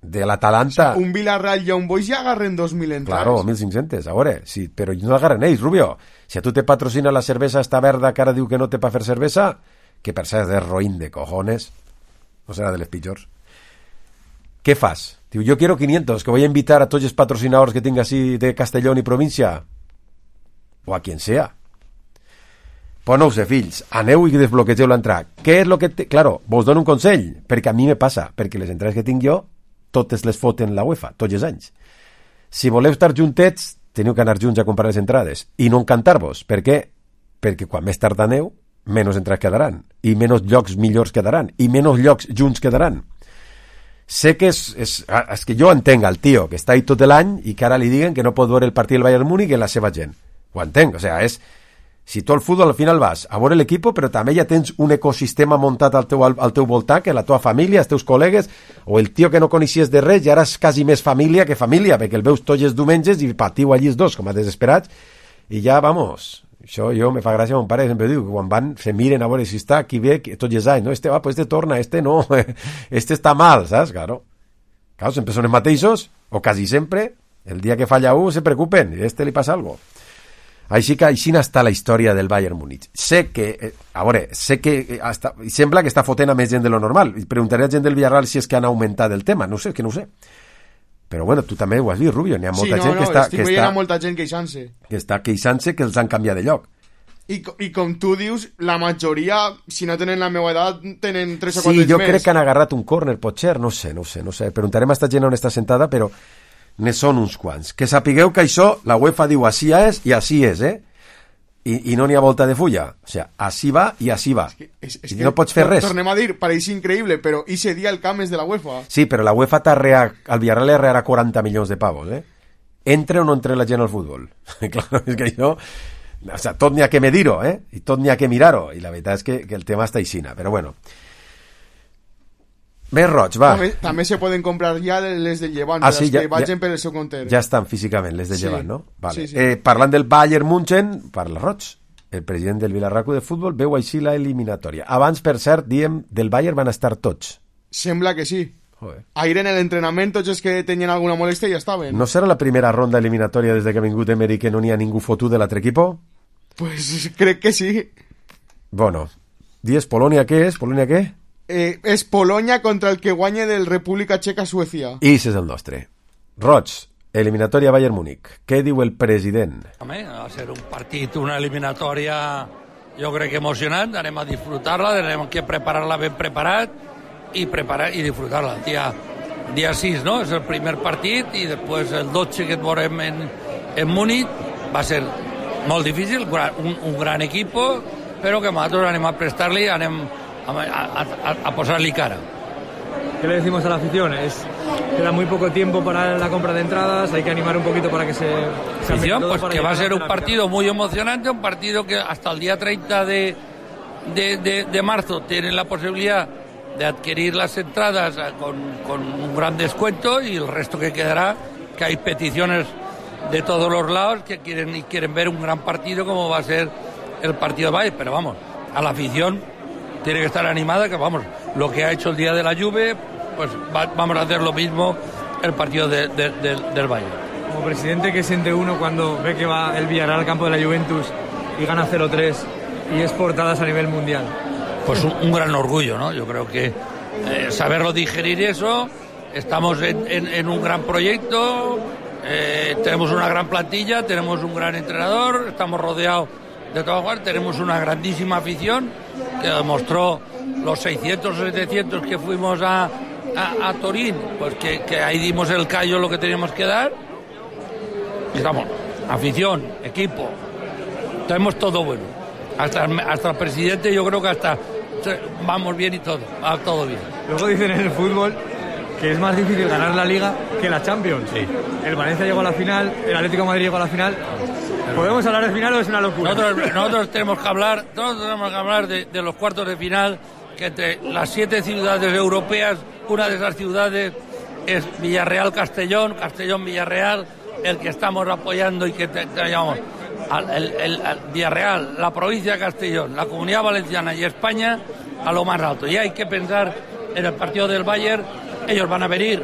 De l'Atalanta... O sea, un Villarreal i un Boix ja agarren 2.000 entrades. Claro, 1.500, a veure, sí, però no agarren ells, Rubio. Si a tu te patrocina la cervesa esta verda que ara diu que no té pa fer cervesa, que per cert és roïn de cojones, no serà de les pitjors. Què fas? Diu, yo quiero 500, que voy a invitar a tots els patrocinadors que tinc així de Castellón i província. O a quien sea. Pues no ho sé, fills, aneu i desbloquegeu l'entrada. Què és lo que... Claro, vos dono un consell, perquè a mi me passa, perquè les entrades que tinc jo totes les foten la UEFA, tots els anys. Si voleu estar juntets, teniu que anar junts a comprar les entrades i no encantar-vos. Per què? Perquè quan més tard aneu, menys entrades quedaran, i menys llocs millors quedaran, i menys llocs junts quedaran. Sé que és que jo entenc al tio que està ahí tot l'any i que ara li diguen que no pot veure el partit del Bayern Múnich i la seva gent. Ho entenc, o sea, és... Si tu al futbol al final vas a veure l'equip, però també ja tens un ecosistema muntat al teu voltant, que la teva família, els teus col·legues, o el tio que no coneixies de res, ja eres quasi més família que família, perquè el veus tots els diumenges i patiu allí els dos, com a desesperats, i ja, vamos, això jo me fa gràcia, mon pare sempre diu, que quan van, se miren a veure si està aquí bé, tots els anys, no, este va, pues este torna, este no, este està mal, saps? Claro, sempre són els mateixos, o quasi sempre, el dia que falla un se preocupen, i a este li passa algo. Així que així està la història del Bayern Múnich. Sé que, sembla que està fotent a més gent de lo normal. Preguntaré a gent del Villarreal si és que han augmentat el tema. No sé, que no ho sé. Però bueno, tu també ho has vist, Rubio. N'hi ha molta gent que està... estic veient a molta gent queixant-se. Que està queixant-se que els han canviat de lloc. I com tu dius, la majoria, si no tenen la meva edat, tenen 3 o 4 anys més. Sí, jo crec que han agarrat un córner, potser, no sé. Preguntarem a esta gent on està sentada, però... ne són uns quants. Que sapigueu que això, la UEFA diu així és i així és, eh? I no n'hi ha volta de fulla. O sigui, així va i així va. És que no pots fer res. Tornem a dir, pareix increïble, però ese dia el camp és de la UEFA. Sí, però la UEFA al Villarreal li arrearà 40 milions de pavos, eh? Entre o no entre la gent al futbol? Claro, és que això... O sea, tot n'hi ha que medir-ho, eh? I tot n'hi ha que mirar-ho. I la veritat és que el tema està aixina, però bueno... Més roig, va. També se poden comprar ja les del Llevant, sí, que vagin per el seu compte. Ja estan físicament, les del Llevant, no? Vale. Sí. Parlant del Bayern München, parla roig. El president del Villarreal de Futbol veu així la eliminatòria. Abans, per cert, diem, del Bayern van estar tots. Sembla que sí. Ahir en l'entrenament tots els que tenien alguna molèstia ja estaven. No serà la primera ronda eliminatòria des que ha vingut Emery que no n'hi ha ningú fotut de l'altre equip? Pues crec que sí. Bueno, dies Polònia què és? Polònia què? És Polònia contra el que guanya del República Txeca-Suècia. I és el nostre. Roig, eliminatòria Bayern Múnich. Què diu el president? Home, va ser un partit, una eliminatòria, jo crec que emocionant. Anem a disfrutar-la, anem a preparar-la ben preparat i disfrutar-la. Dia 6, no? És el primer partit i després el 12 que et veurem en Múnich. Va ser molt difícil, un gran equip, però que nosaltres anem a prestar-li, anem a posarle cara. ¿Qué le decimos a la afición? Queda muy poco tiempo para la compra de entradas, hay que animar un poquito para que se afición, pues que va a ser un partido muy emocionante, un partido que hasta el día 30 de marzo tienen la posibilidad de adquirir las entradas con un gran descuento, y el resto que quedará, que hay peticiones de todos los lados que quieren ver un gran partido como va a ser el partido de Bayern, pero vamos, a la afición tiene que estar animada, que vamos, lo que ha hecho el día de la Juve, pues vamos a hacer lo mismo el partido del Bayern. Como presidente, ¿qué siente uno cuando ve que va el Villarreal al campo de la Juventus y gana 0-3 y es portadas a nivel mundial? Pues un gran orgullo, ¿no? Yo creo que saberlo digerir eso, estamos en un gran proyecto, tenemos una gran plantilla, tenemos un gran entrenador, estamos rodeados de trabajar, tenemos una grandísima afición que demostró los 600 o 700 que fuimos a Turín, pues que ahí dimos el callo lo que teníamos que dar. Estamos, afición, equipo, tenemos todo bueno. Hasta el presidente, yo creo que hasta vamos bien y todo, va todo bien. Luego dicen en el fútbol que es más difícil ganar la Liga que la Champions. Sí. El Valencia llegó a la final, el Atlético de Madrid llegó a la final. ¿Podemos hablar de final o es una locura? Nosotros tenemos que hablar de los cuartos de final, que entre las 7 ciudades europeas, una de esas ciudades es Villarreal-Castellón, Castellón-Villarreal, el que estamos apoyando y que llamamos el Villarreal, la provincia de Castellón, la Comunidad Valenciana y España a lo más alto. Y hay que pensar en el partido del Bayern. Ellos van a venir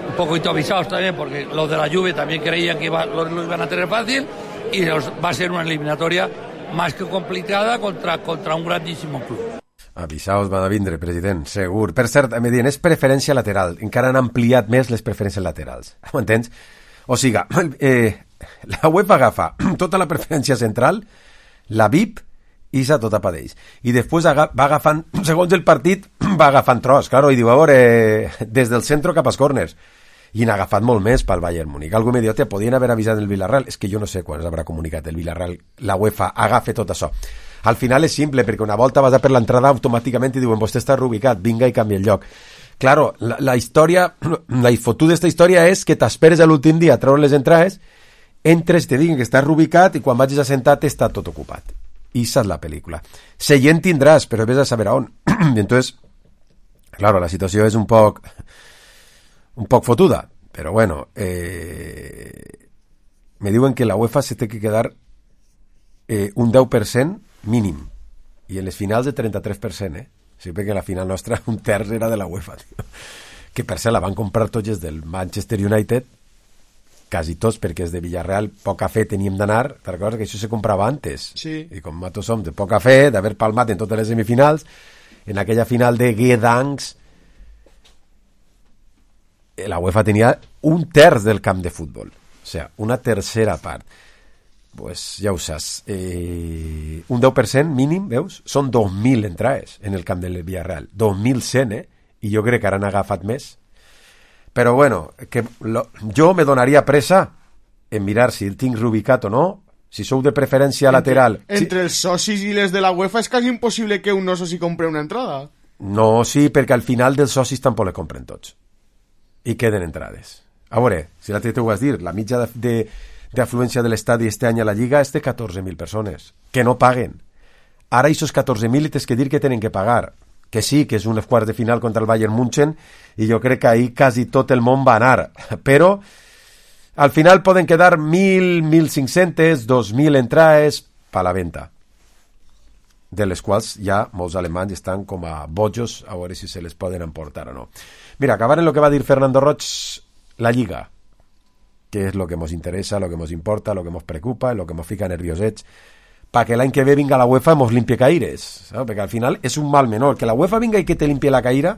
un poquito avisados también, porque los de la Juve también creían que lo iban a tener fácil, y va a ser una eliminatoria más que complicada contra un grandísimo club. Avisaos van a vindre, president, segur. Per cert, me diuen, és preferència lateral. Encara han ampliat més les preferències laterals. Ho entens? O sigui, la UEFA agafa tota la preferència central, la VIP, i s'ha tota per ells. I després va agafant, segons el partit, va agafant tros, claro, i diu, a veure, des del centre cap als corners. I n'ha agafat molt més pel Bayern Múnich. Algú me diu, podien haver avisat el Villarreal. És que jo no sé quan s'haurà comunicat el Villarreal, la UEFA agafa tot això. Al final és simple, perquè una volta vas a per l'entrada automàticament i diuen, vostè està reubicat, vinga i canvia el lloc. Claro, la història, la foto d'esta història és que t'esperes a l'últim dia a treure les entrades, entres, te diguin que estàs reubicat i quan vagis a sentar està tot ocupat. I esa és la pel·lícula. Seient tindràs, però ves a saber on. I entonces, claro, la situació és un poc fotuda, però bueno, me diuen que la UEFA se té que quedar un 10% mínim, i en les finals de 33%, sí, perquè la final nostra un terç era de la UEFA, tio. Que per cert la van comprar tots els del Manchester United, quasi tots, perquè els de Villarreal poca fe teníem d'anar, te recordes que això se comprava antes, sí. I com nosaltres som de poca fe, d'haver palmat en totes les semifinals, en aquella final de Gdansk la UEFA tenia un terç del camp de futbol, o sea, una tercera part. Pues ja ho saps, un 10% mínim, veus? Són 2.000 entrades en el camp del Villarreal, 2.100, i jo crec que ara han agafat més. Però bueno, jo me donaria pressa en mirar si el tinc reubicat o no, si sou de preferència lateral. Entre els socis i les de la UEFA és quasi impossible que un no soci compre una entrada. No, sí, perquè al final dels socis tampoc le compren tots. I queden entrades. A veure, si l'altre t'ho vas dir, la mitja de afluència de l'estadi este any a la Lliga és de 14.000 persones, que no paguen. Ara aquests 14.000 tens que dir que tenen que pagar, que sí, que és un quart de final contra el Bayern München, i jo crec que ahí quasi tot el món va anar, però al final poden quedar 1.000, 1.500, 2.000 entrades per la venda, de les quals ja molts alemanys estan com a bojos a veure si se les poden emportar o no. Mira, acabar en el que va dir Fernando Roig, la Lliga, que és lo que ens interessa, lo que ens importa, lo que ens preocupa, lo que ens fica nerviosets, perquè l'any que ve vinga la UEFA ens limpie caires, ¿sabes? Perquè al final és un mal menor. Que la UEFA vinga i que te limpie la caïra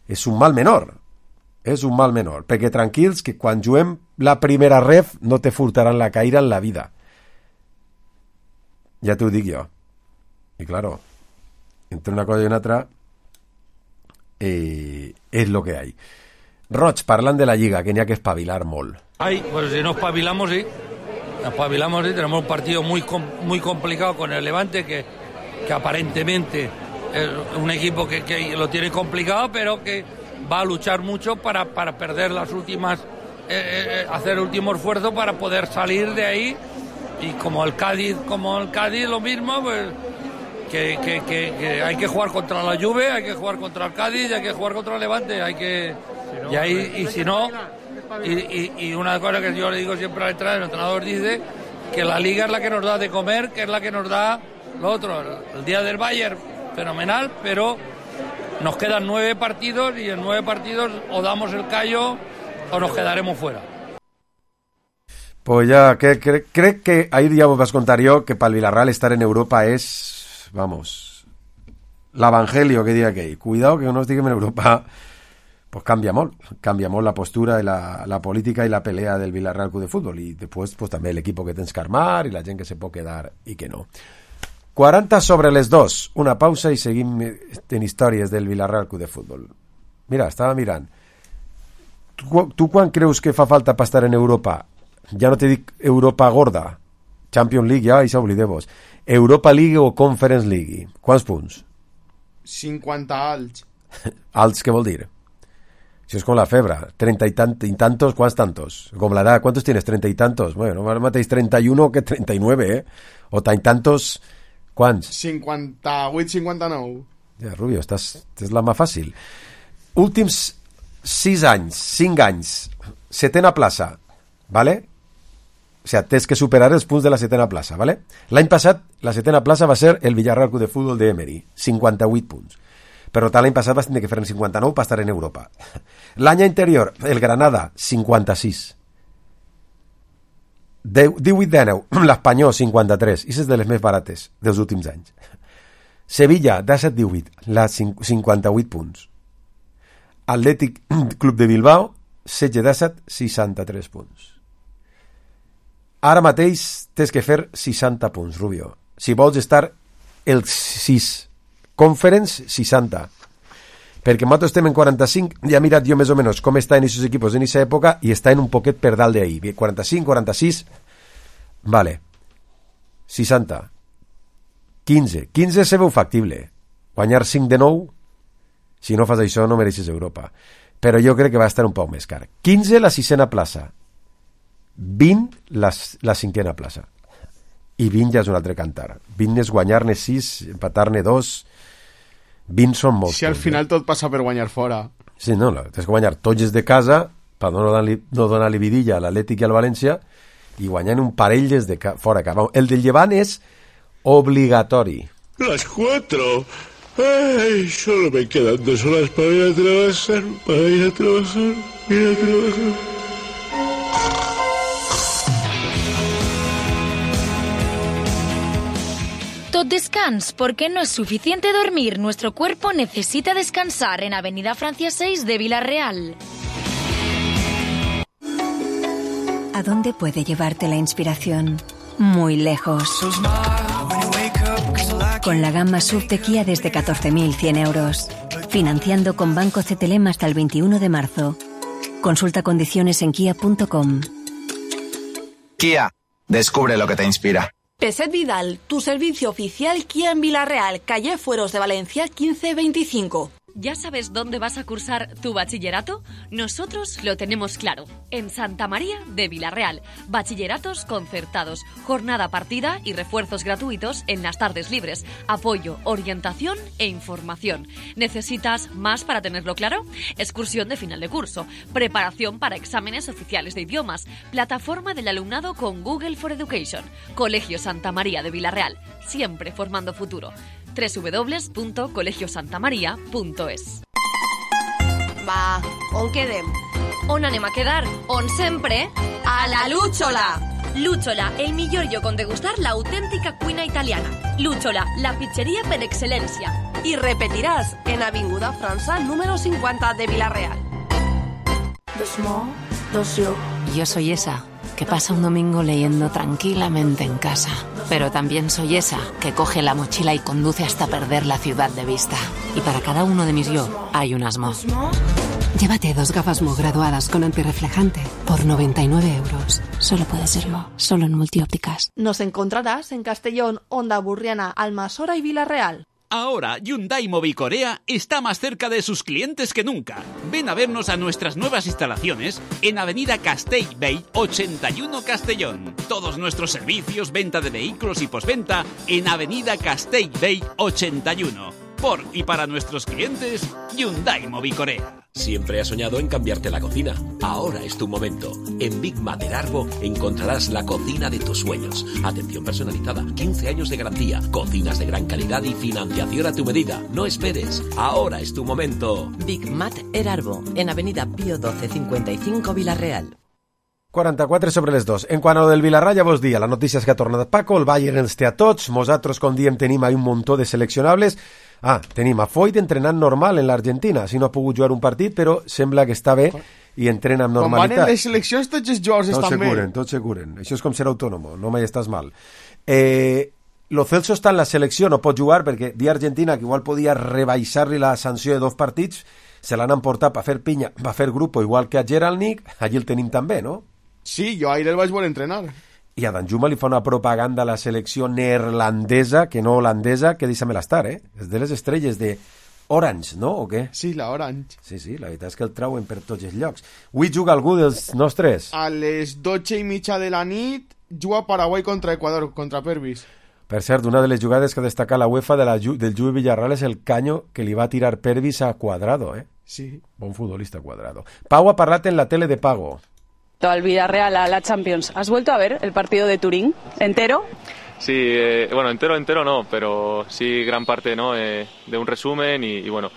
és un mal menor. És un mal menor. Perquè tranquils que quan juguem la primera ref no te furtaran la caïra en la vida. Ja t'ho dic jo. I claro, entre una cosa i una altra és lo que hay. Roig, parlant de la Lliga, que n'hi ha que espavilar molt. Ay, pues si no espabilamos, sí. Espabilamos, sí. Tenemos un partido muy complicado con el Levante, que aparentemente es un equipo que lo tiene complicado, pero que va a luchar mucho para perder las últimas, hacer el último esfuerzo para poder salir de ahí. Y como el Cádiz lo mismo, pues que hay que jugar contra la Juve, hay que jugar contra el Cádiz, hay que jugar contra el Levante, hay que... Y ahí, y si no, y una cosa que yo le digo siempre al entrenador dice que la Liga es la que nos da de comer, que es la que nos da lo otro. El día del Bayern, fenomenal, pero nos quedan 9 partidos y en 9 partidos o damos el callo o nos quedaremos fuera. Pues ya, crec que ahir ja vos vas contar jo que pel Villarreal estar en Europa és, vamos, l'evangelio que diria aquell. Cuidado que no estiguem en Europa, pues canvia molt la postura i la política i la pelea del Villarreal Club de Fútbol, i després pues, també l'equip que tens que armar i la gent que se pot quedar i que no. 40 sobre les 2, una pausa i seguim en històries del Villarreal Club de Fútbol. Mira, estava mirant. Tu quan creus que fa falta per estar en Europa? Ja no te dic Europa gorda, Champions League, ja, i s'oblideu-vos. Europa League o Conference League? Quants punts? 50 alts. Alts què vol dir? Això és com la febre. 30 y tantos, ¿cuántos tantos? Com l'edat, ¿cuántos tienes? 30 y tantos. Bueno, no mateix 31 que 39, ¿eh? O tant tantos, ¿cuánts? 58, 59. Ja, Rubio, és la mà fàcil. Últims 6 anys, 5 anys, 7ª plaça, ¿vale? O sea, tens que superar els punts de la 7ª plaça, ¿vale? L'any passat, la 7ª plaça va ser el Villarreal Club de Fútbol de Emery, 58 punts. Per tant, l'any passat vas tenir que fer en 59 per estar en Europa. L'any anterior, el Granada, 56. 18-19, l'Espanyol, 53. I és de les més barates dels últims anys. Sevilla, 17-18, 58 punts. Atlètic Club de Bilbao, 16-17, 63 punts. Ara mateix tens que fer 60 punts, Rubio. Si vols estar el 6 Conference, 60. Perquè nosaltres estem en 45, ja he mirat jo més o menys com estan aquests equipos en aquesta època i estan un poquet per dalt d'ahir. 45, 46, vale. 60. 15 se veu factible. Guanyar 5 de 9, si no fas això no mereixes Europa. Però jo crec que va estar un poc més car. 15 la 6ª plaça. 20 la 5ª plaça. I 20 ja és un altre cantar. 20 és guanyar-ne 6, empatar-ne 2. 20 són molts. Si al final tot passa per guanyar fora. Sí, no, tens que guanyar tots des de casa per no donar-li vidilla a l'Atlètic i al València i guanyant un parell des de fora. El del Llevant és obligatori. Las 4. Ay, solo me quedan 2 horas para ir a trabajar. Tot descans, porque no es suficiente dormir. Nuestro cuerpo necesita descansar en Avenida Francia 6 de Villarreal. ¿A dónde puede llevarte la inspiración? Muy lejos. Con la gama SUV de Kia desde 14.100 euros. Financiando con Banco CTLM hasta el 21 de marzo. Consulta condiciones en kia.com. Kia, descubre lo que te inspira. Peset Vidal, tu servicio oficial Kia en Villarreal, calle Fueros de Valencia 1525. ¿Ya sabes dónde vas a cursar tu bachillerato? Nosotros lo tenemos claro. En Santa María de Villarreal. Bachilleratos concertados, jornada partida y refuerzos gratuitos en las tardes libres. Apoyo, orientación e información. ¿Necesitas más para tenerlo claro? Excursión de final de curso. Preparación para exámenes oficiales de idiomas. Plataforma del alumnado con Google for Education. Colegio Santa María de Villarreal. Siempre formando futuro. www.colegiosantamaria.es. Va, on quedem? On anem a quedar? On sempre? A la Lúchola! Lúchola, el millor lloc on degustar l'autèntica cuina italiana. Lúchola, la pizzeria per excel·lència. I repetiràs en Avinguda França, número 50 de Villarreal. Yo soy esa que pasa un domingo leyendo tranquilamente en casa. Pero también soy esa que coge la mochila y conduce hasta perder la ciudad de vista. Y para cada uno de mis yo hay un Asmo. Llévate 2 gafas Mo graduadas con antirreflejante por 99 euros. Solo puede serlo, solo en Multiópticas. Nos encontrarás en Castellón, Onda Burriana, Almasora y Villarreal. Ahora, Hyundai Mobicorea está más cerca de sus clientes que nunca. Ven a vernos a nuestras nuevas instalaciones en Avenida Castellbell 81 Castellón. Todos nuestros servicios, venta de vehículos y postventa en Avenida Castellbell 81. Por y para nuestros clientes, Hyundai Mobicorea. Siempre has soñado en cambiarte la cocina. Ahora es tu momento. En Big Mater Arbo encontrarás la cocina de tus sueños. Atención personalizada, 15 años de garantía, cocinas de gran calidad y financiación a tu medida. No esperes. Ahora es tu momento. Big Mater Arbo, en Avenida Pío 12 55 Villarreal. 44 sobre les 2. En quant a lo del Villarreal, ja vos dia, la notícia és que ha tornat Paco, el Bayern ens té a tots, nosaltres, com diem, tenim ahí un muntó de seleccionables. Tenim a Foyt entrenant normal en l'Argentina, si no ha pogut jugar un partit, però sembla que està bé i entrena amb normalitat. Quan van en les seleccions tots els jugadors estan bé. Tots se curen. Això és com ser autònom, no mai estàs mal. Lo Celso està en la selecció, no pot jugar perquè di Argentina que igual podia rebaixar-li la sanció de 2 partits, se l'han emportat per fer pinya, per fer grupo, igual que a Geralnik, allí el tenim també, no? Sí, jo ahir el vaig voler entrenar. I a Danjuma li fa una propaganda a la selecció neerlandesa, que no holandesa, que deixa-me l'estar, És de les estrelles de Orange, no? O què? Sí, la Orange. Sí, la veritat és que el trauen per tots els llocs. Avui juga algú dels nostres? A les 12:30 de la nit juga Paraguai contra Equador, contra Pervis. Per cert, una de les jugades que destaca la UEFA del Juve Villarreal és el canyo que li va tirar Pervis a Cuadrado, Sí. Bon futbolista Cuadrado. Pau ha parlat en la tele de pago. Al Villarreal a la Champions. ¿Has vuelto a ver el partido de Turín entero? Sí, bueno, entero no, pero sí gran parte, ¿no? De un resumen y bueno,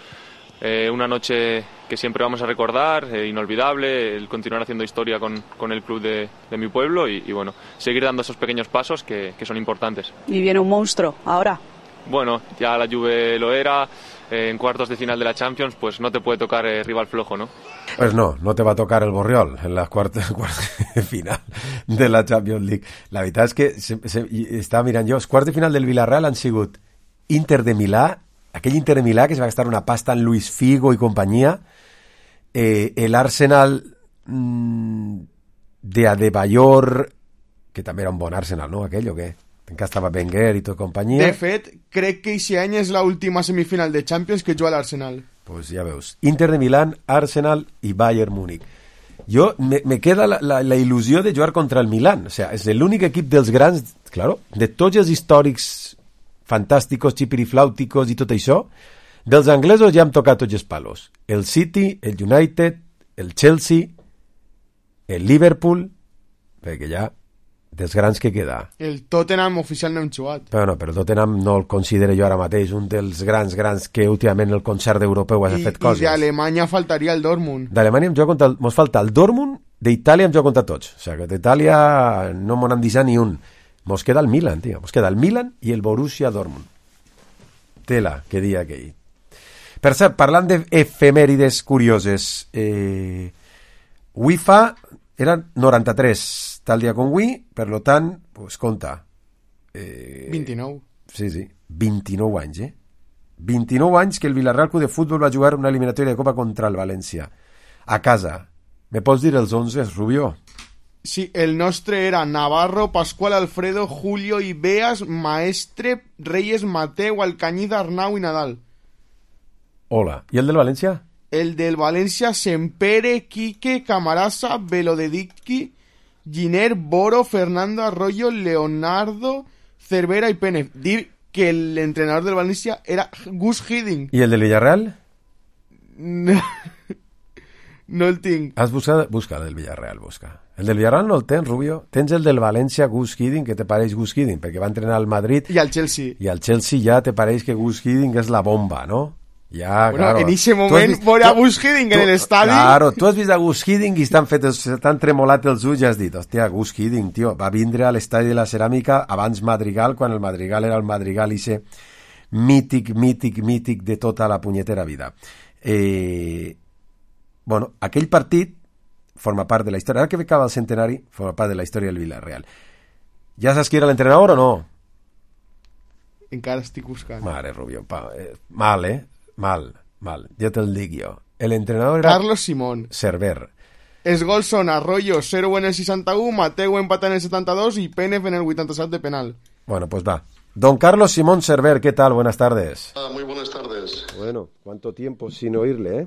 una noche que siempre vamos a recordar, inolvidable, el continuar haciendo historia con el club de mi pueblo y bueno, seguir dando esos pequeños pasos que son importantes. Y viene un monstruo ahora. Bueno, ya la Juve lo era, en cuartos de final de la Champions, pues no te puede tocar rival flojo, ¿no? Pues no te va a tocar el Borriol en la cuarta de final de la Champions League. La veritat és que estava mirant jo, els quarts de final del Villarreal han sigut Inter de Milà, aquell Inter de Milà que se va gastar una pasta en Luis Figo i companyia, el Arsenal de Adebayor, que també era un bon Arsenal, no? Aquell o què? Encara estava Wenger i tot companyia. De fet, crec que aquest any és l'última semifinal de Champions que juga l'Arsenal. Pues ja veus, Inter de Milán, Arsenal i Bayern Múnich. Jo, me queda la il·lusió de jugar contra el Milan. O sea, és l'únic equip dels grans, claro, de tots els històrics fantàsticos, xipiriflàuticos i tot això, dels anglesos ja hem tocat tots els palos. El City, el United, el Chelsea, el Liverpool, perquè ja dels grans que queda. El Tottenham oficial no hem jugat. Però el Tottenham no el considero jo ara mateix un dels grans que últimament el concert europeu ha fet coses. I d'Alemanya faltaria el Dortmund. D'Alemanya mos falta el Dortmund, d'Itàlia em joc contra tots. O sigui, que d'Itàlia no m'ho han deixat ni un. Mos queda el Milan, tio. Mos queda el Milan i el Borussia Dortmund. Tela, que dia aquell. Per cert, parlant d'efemèrides curioses, UEFA eren 93 tal dia com avui, per lo tant, pues compta. 29. Sí, 29 anys, 29 anys que el Villarreal Club de Futbol va jugar una eliminatòria de Copa contra el València. A casa. Me pots dir els 11, Rubio? Sí, el nostre era Navarro, Pascual, Alfredo, Julio, Ibeas, Maestre, Reyes, Mateu, Alcañiz, Arnau i Nadal. Hola. I el del València? El del València, Sempere, Quique, Camarasa, Velodedicki, Giner, Boro, Fernando Arroyo, Leonardo, Cervera y Pérez. Dir que el entrenador del Valencia era Gus Hiddink. ¿Y el del Villarreal? No el tinc. Has buscat? Busca el del Villarreal, busca. El del Villarreal no el tens, Rubio? Tens el del València, Gus Hiddink, que te pareix Gus Hiddink, perquè va entrenar al Madrid. I al Chelsea. I al Chelsea ja te pareix que Gus Hiddink és la bomba, no? Ja, bueno, claro. En ese moment veure a Gus Hiddink en l'estadi. Claro, tu has vist a Gus Hiddink i t'han tremolat els ulls i has dit, hòstia, Gus Hiddink, tio, va vindre a l'estadi de la Ceràmica abans Madrigal, quan el Madrigal era el Madrigal ese mític de tota la punyetera vida. Bueno, aquell partit forma part de la història. Ara que acaba el centenari, forma part de la història del Villarreal. Ja saps qui era l'entrenador o no? Encara estic buscant. Mare, Rubio, mal, Mal, ja te'l dic jo. L'entrenador era... Carlos Simón. Cerver. Els gols són Arroyo 0 en el 61, Mateu empata en el 72 y Pérez en el 87 de penal. Bueno, pues va. Don Carlos Simón Cerver, ¿qué tal? Buenas tardes. Muy buenas tardes. Bueno, ¿cuánto tiempo sin oírle,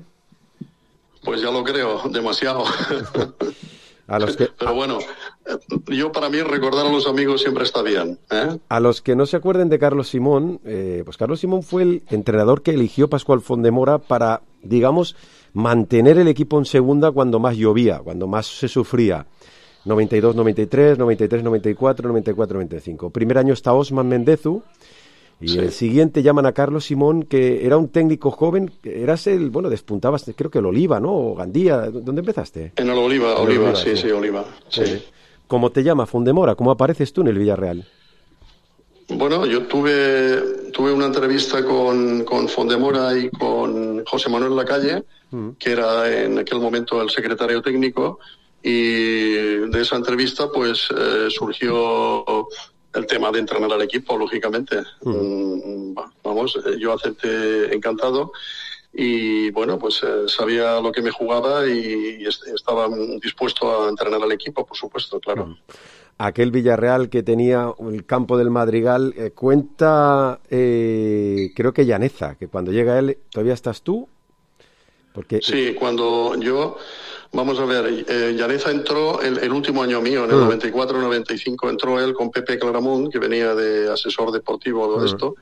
Pues ya lo creo, demasiado. Pero bueno, para mí recordar a los amigos siempre está bien. A los que no se acuerden de Carlos Simón, pues Carlos Simón fue el entrenador que eligió Pascual Fondemora para, digamos, mantener el equipo en segunda cuando más llovía, cuando más se sufría. 92-93, 93-94, 94-95. Primer año está Osman Mendezu. Y sí. El siguiente llaman a Carlos Simón, que era un técnico joven, despuntabas, creo que el Oliva, ¿no? O Gandía, ¿dónde empezaste? En el Oliva, sí, Oliva. Sí. ¿Cómo te llama Fondemora? ¿Cómo apareces tú en el Villarreal? Bueno, yo tuve una entrevista con Fondemora y con José Manuel Lacalle, que era en aquel momento el secretario técnico, y de esa entrevista pues surgió el tema de entrenar al equipo, lógicamente. Vamos, yo acepté encantado. y bueno, pues sabía lo que me jugaba y estaba dispuesto a entrenar al equipo, por supuesto, claro. Aquel Villarreal que tenía el campo del Madrigal, cuenta, creo que Llaneza, que cuando llega él, ¿todavía estás tú? Porque... Sí, cuando yo... Vamos a ver, Llaneza entró el último año mío, en el 94-95, entró él con Pepe Claramunt, que venía de asesor deportivo de esto,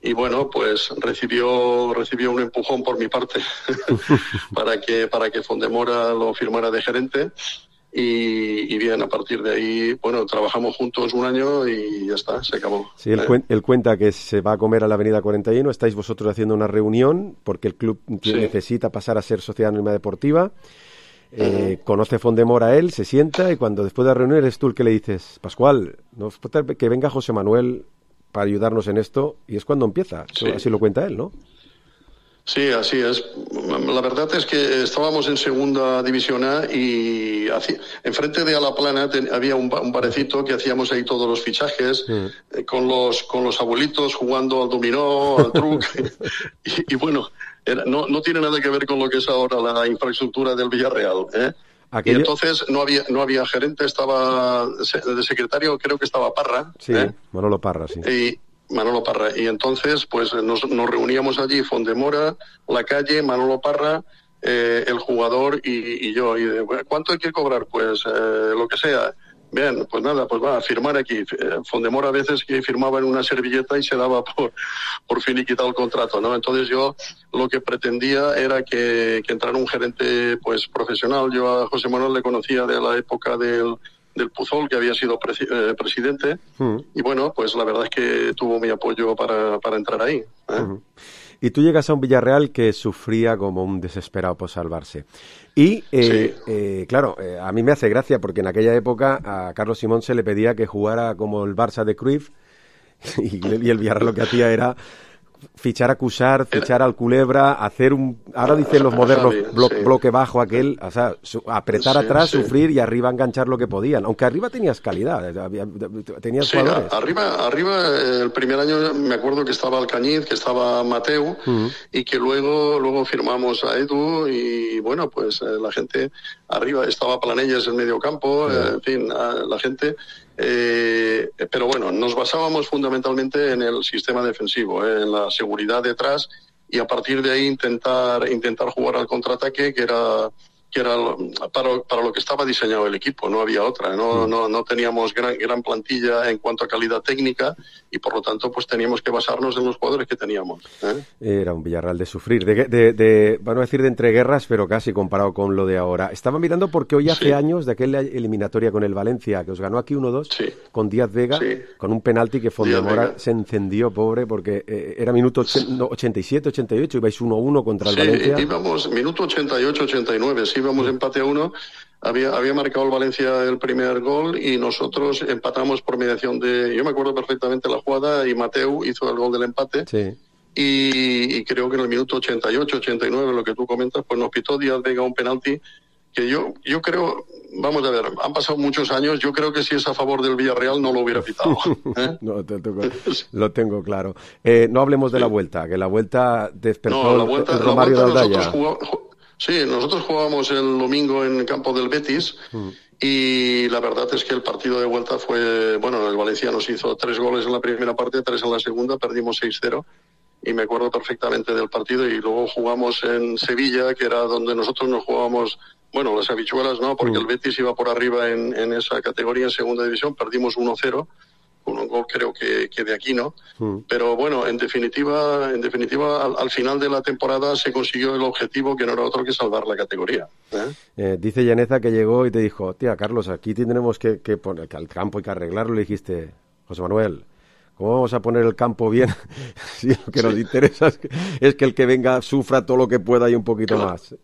y bueno, pues recibió un empujón por mi parte para que Fondemora lo firmara de gerente. Y bien, a partir de ahí, bueno, trabajamos juntos un año y ya está, se acabó. Sí, él cuenta que se va a comer a la Avenida 41, estáis vosotros haciendo una reunión porque el club necesita pasar a ser sociedad anónima deportiva. Conoce Fondemora él, se sienta y cuando después de la reunión eres tú el que le dices, Pascual, que venga José Manuel para ayudarnos en esto, y es cuando empieza. Sí. Así lo cuenta él, ¿no? Sí, así es. La verdad es que estábamos en segunda división A y enfrente de Alaplana había un barecito que hacíamos ahí todos los fichajes con los abuelitos jugando al dominó, al truc y bueno, no tiene nada que ver con lo que es ahora la infraestructura del Villarreal, Y entonces no había gerente, estaba de secretario, creo que estaba Parra. Sí, Manolo Parra, sí. Manolo Parra. Y entonces, pues nos reuníamos allí, Fondemora, La Calle, Manolo Parra, el jugador y yo. Y ¿cuánto hay que cobrar? Pues lo que sea. Bien, pues nada, pues va a firmar aquí. Fondemora a veces que firmaba en una servilleta y se daba por finiquitado el contrato, ¿no? Entonces yo lo que pretendía era que entrara un gerente pues profesional. Yo a José Manuel le conocía de la época del Puzol, que había sido presidente, y bueno, pues la verdad es que tuvo mi apoyo para entrar ahí. Y tú llegas a un Villarreal que sufría como un desesperado por salvarse. Y, claro, a mí me hace gracia porque en aquella época a Carlos Simón se le pedía que jugara como el Barça de Cruyff y el Villarreal lo que hacía era fichar a Cuixart, fichar al Culebra, hacer ahora dicen los modernos bloque bajo aquel, o sea, apretar atrás, sufrir y arriba enganchar lo que podían, aunque arriba tenías calidad, tenías jugadores. Arriba el primer año me acuerdo que estaba Alcañiz, que estaba Mateu y que luego firmamos a Edu y bueno, pues la gente arriba estaba Planelles en medio campo, en fin, la gente... pero bueno, nos basábamos fundamentalmente en el sistema defensivo, en la seguridad detrás y a partir de ahí intentar jugar al contraataque que era para lo que estaba diseñado el equipo, no había otra, no teníamos gran plantilla en cuanto a calidad técnica y por lo tanto pues teníamos que basarnos en los jugadores que teníamos. Era un Villarreal de sufrir, de van a decir de entreguerras, pero casi comparado con lo de ahora. Estaba mirando porque hoy hace años de aquella eliminatoria con el Valencia, que os ganó aquí 1-2, con Díaz Vega, con un penalti que Fondemora se encendió, pobre, porque era minuto 87, 88, ibais 1-1 contra el Valencia. Íbamos minuto 88, 89, íbamos empate a 1, había marcado el Valencia el primer gol y nosotros empatamos por mediación yo me acuerdo perfectamente la jugada y Mateu hizo el gol del empate y creo que en el minuto 88, 89, lo que tú comentas, pues nos pitó Díaz Vega un penalti que yo creo, vamos a ver, han pasado muchos años, yo creo que si es a favor del Villarreal no lo hubiera pitado. No, lo tengo claro. No hablemos de la vuelta, que la vuelta despertó el Romario de Aldaya. Nosotros jugábamos el domingo en el campo del Betis y la verdad es que el partido de vuelta fue, bueno, el Valencia nos hizo 3 goles en la primera parte, 3 en la segunda, perdimos 6-0 y me acuerdo perfectamente del partido y luego jugamos en Sevilla, que era donde nosotros nos jugábamos, bueno, las habichuelas, ¿no? Porque el Betis iba por arriba en esa categoría en segunda división, perdimos 1-0. Un gol creo que de Aquino, pero bueno, en definitiva al final de la temporada se consiguió el objetivo que no era otro que salvar la categoría. Dice Llaneza que llegó y te dijo, tía Carlos, aquí tendremos que poner que al campo hay que arreglarlo, le dijiste, José Manuel, ¿cómo vamos a poner el campo bien? Si lo que nos interesa es que el que venga sufra todo lo que pueda y un poquito más.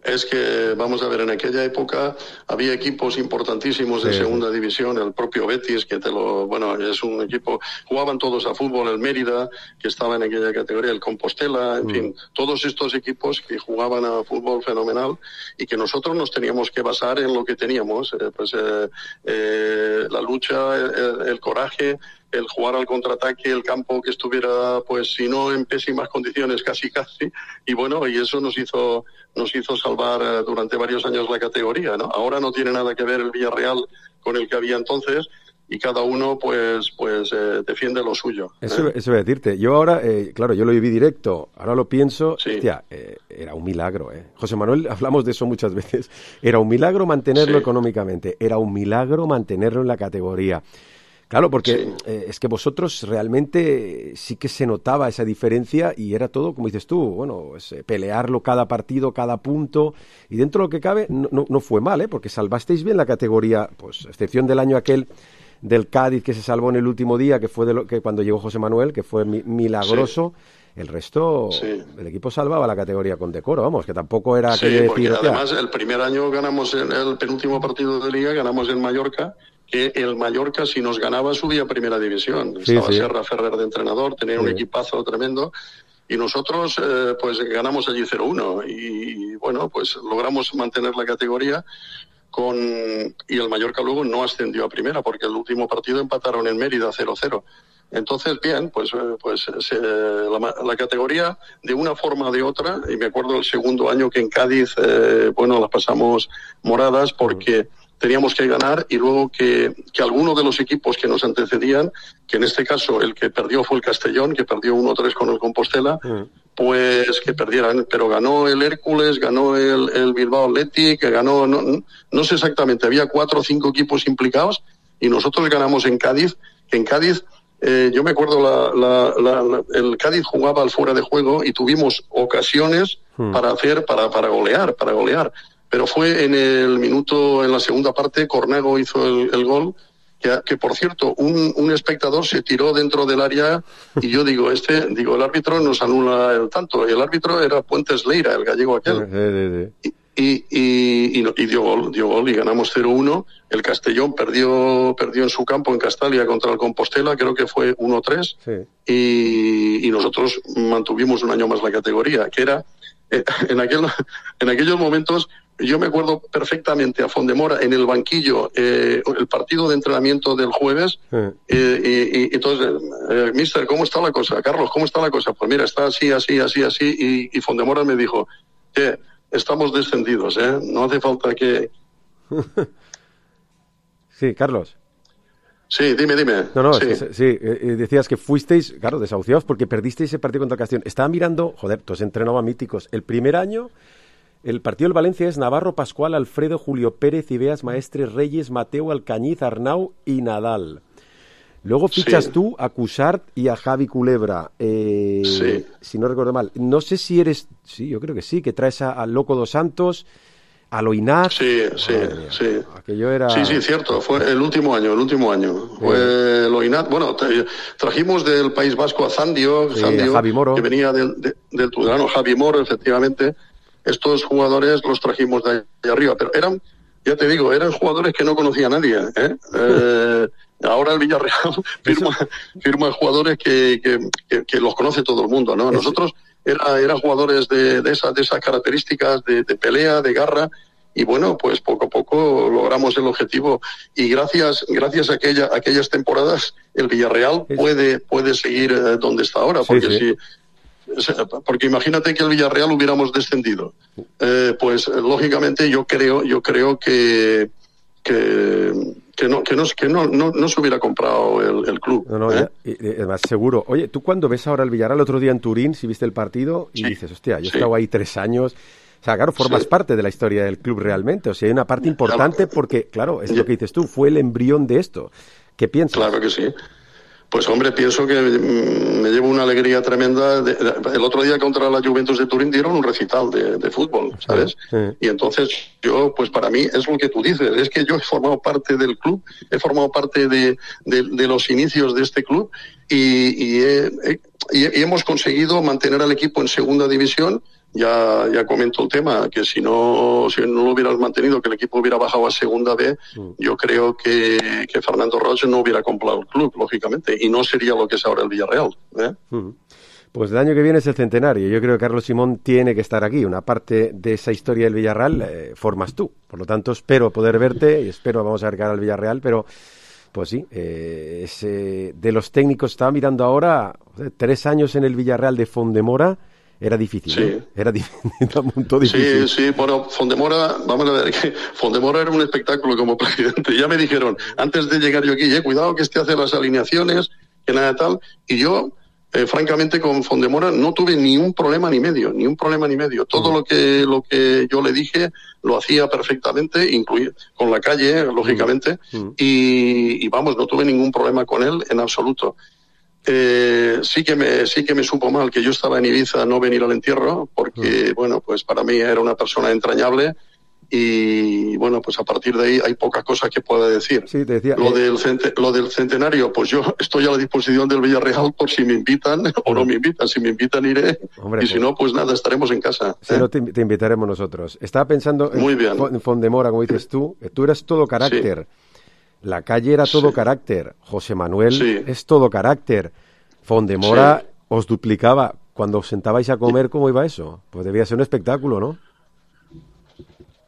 Es que, vamos a ver, en aquella época había equipos importantísimos de segunda división, el propio Betis, que es un equipo, jugaban todos a fútbol, el Mérida, que estaba en aquella categoría, el Compostela, en fin, todos estos equipos que jugaban a fútbol fenomenal y que nosotros nos teníamos que basar en lo que teníamos, la lucha, el coraje, el jugar al contraataque, el campo que estuviera, pues si no en pésimas condiciones, casi, y bueno, y eso nos hizo salvar durante varios años la categoría, ¿no? Ahora no tiene nada que ver el Villarreal con el que había entonces, y cada uno pues defiende lo suyo. Eso voy a decirte. Yo ahora, claro, yo lo viví directo, ahora lo pienso, hostia, era un milagro, José Manuel, hablamos de eso muchas veces, era un milagro mantenerlo económicamente, era un milagro mantenerlo en la categoría. Claro, porque es que vosotros realmente sí que se notaba esa diferencia y era todo, como dices tú, bueno, pelearlo cada partido, cada punto, y dentro de lo que cabe no fue mal, porque salvasteis bien la categoría, pues a excepción del año aquel del Cádiz que se salvó en el último día, que fue que cuando llegó José Manuel, que fue milagroso. El resto, el equipo salvaba la categoría con decoro, vamos, que tampoco era aquello de decir... Además, el primer año ganamos en el penúltimo partido de Liga, ganamos en Mallorca, que el Mallorca, si nos ganaba, subía a Primera División. Estaba Serra Ferrer de entrenador, tenía un equipazo tremendo, y nosotros pues ganamos allí 0-1, y bueno, pues logramos mantener la categoría, y el Mallorca luego no ascendió a Primera, porque el último partido empataron en Mérida 0-0. Entonces, bien, la categoría, de una forma o de otra, y me acuerdo el segundo año que en Cádiz, las pasamos moradas porque teníamos que ganar, y luego que alguno de los equipos que nos antecedían, que en este caso el que perdió fue el Castellón, que perdió 1-3 con el Compostela, pues que perdieran, pero ganó el Hércules, ganó el Bilbao Athletic, que ganó, no sé exactamente, había 4 o 5 equipos implicados, y nosotros ganamos en Cádiz, yo me acuerdo, el Cádiz jugaba al fuera de juego y tuvimos ocasiones para golear. Pero fue en la segunda parte, Cornago hizo el gol, que por cierto, un espectador se tiró dentro del área, y yo digo, el árbitro nos anula el tanto, y el árbitro era Puentes Leira, el gallego aquel. Y dio gol y ganamos 0-1. El Castellón perdió en su campo en Castalia contra el Compostela, creo que fue 1-3, y nosotros mantuvimos un año más la categoría, que era en aquellos momentos. Yo me acuerdo perfectamente a Fondemora en el banquillo, el partido de entrenamiento del jueves, y entonces, mister, ¿cómo está la cosa? Carlos, ¿cómo está la cosa? Pues mira, está así, y Fondemora me dijo, estamos descendidos, no hace falta que... Sí, Carlos. Sí, dime. No, decías que fuisteis, claro, desahuciados porque perdisteis ese partido contra el Castellón. Estaba mirando, tú has entrenado a míticos. El primer año, el partido del Valencia es Navarro, Pascual, Alfredo, Julio Pérez, Ibeas, Maestres, Reyes, Mateo, Alcañiz, Arnau y Nadal. Luego fichas tú a Cuixart y a Javi Culebra, si no recuerdo mal. No sé si eres... Sí, yo creo que sí, que traes al Loco dos Santos, a Loinaz. Sí. Aquello era... Sí, cierto, fue el último año. Fue Loinaz. Bueno, trajimos del País Vasco a Zandio, Javi Moro, que venía del Tudelano, Javi Moro, efectivamente. Estos jugadores los trajimos de ahí arriba, pero eran jugadores que no conocía nadie, Ahora el Villarreal firma jugadores que los conoce todo el mundo, ¿no? Nosotros eran jugadores de esas características de pelea, de garra, y bueno, pues poco a poco logramos el objetivo, y gracias a aquellas temporadas el Villarreal puede seguir donde está ahora, porque porque imagínate que el Villarreal hubiéramos descendido, pues lógicamente yo creo que no se hubiera comprado el club. Además, seguro. Oye, tú cuando ves ahora el Villarreal, el otro día en Turín, si viste el partido, y dices, hostia, yo he estado ahí 3 años. O sea, claro, formas parte de la historia del club realmente. O sea, hay una parte importante porque, claro, es lo que dices tú, fue el embrión de esto. ¿Qué piensas? Claro que sí. Pues hombre, pienso que me llevo una alegría tremenda. El otro día contra la Juventus de Turín dieron un recital de fútbol, ¿sabes? Y entonces yo, pues para mí es lo que tú dices, es que yo he formado parte del club, he formado parte de los inicios de este club, y hemos conseguido mantener al equipo en segunda división. Ya comento el tema, que si no lo hubieras mantenido, que el equipo hubiera bajado a segunda B, yo creo que Fernando Roig no hubiera comprado el club, lógicamente, y no sería lo que es ahora el Villarreal. Pues el año que viene es el centenario. Yo creo que Carlos Simón tiene que estar aquí. Una parte de esa historia del Villarreal formas tú. Por lo tanto, espero poder verte y vamos a ver cara al Villarreal, pero Pues sí, de los técnicos, estaba mirando ahora, 3 años en el Villarreal de Fondemora, era difícil, sí. ¿no? Era difícil. Sí, bueno, Fondemora, vamos a ver, que Fondemora era un espectáculo como presidente. Ya me dijeron, antes de llegar yo aquí, cuidado que hace las alineaciones, que nada tal, y yo, francamente, con Fondemora no tuve ni un problema ni medio. Todo lo que yo le dije lo hacía perfectamente, incluido con la calle, lógicamente, y vamos, no tuve ningún problema con él en absoluto. Sí que me supo mal que yo estaba en Ibiza no venir al entierro, porque, bueno, pues para mí era una persona entrañable y, bueno, pues a partir de ahí hay poca cosa que pueda decir. Sí, te decía, lo del centenario, pues yo estoy a la disposición del Villarreal por si me invitan o no me invitan. Si me invitan iré, hombre, y si no, pues nada, estaremos en casa. Si no, te invitaremos nosotros. Estaba pensando en Fondemora, como dices tú eras todo carácter. Sí. La calle era todo carácter. José Manuel es todo carácter. Fondemora os duplicaba. Cuando os sentabais a comer, ¿cómo iba eso? Pues debía ser un espectáculo, ¿no?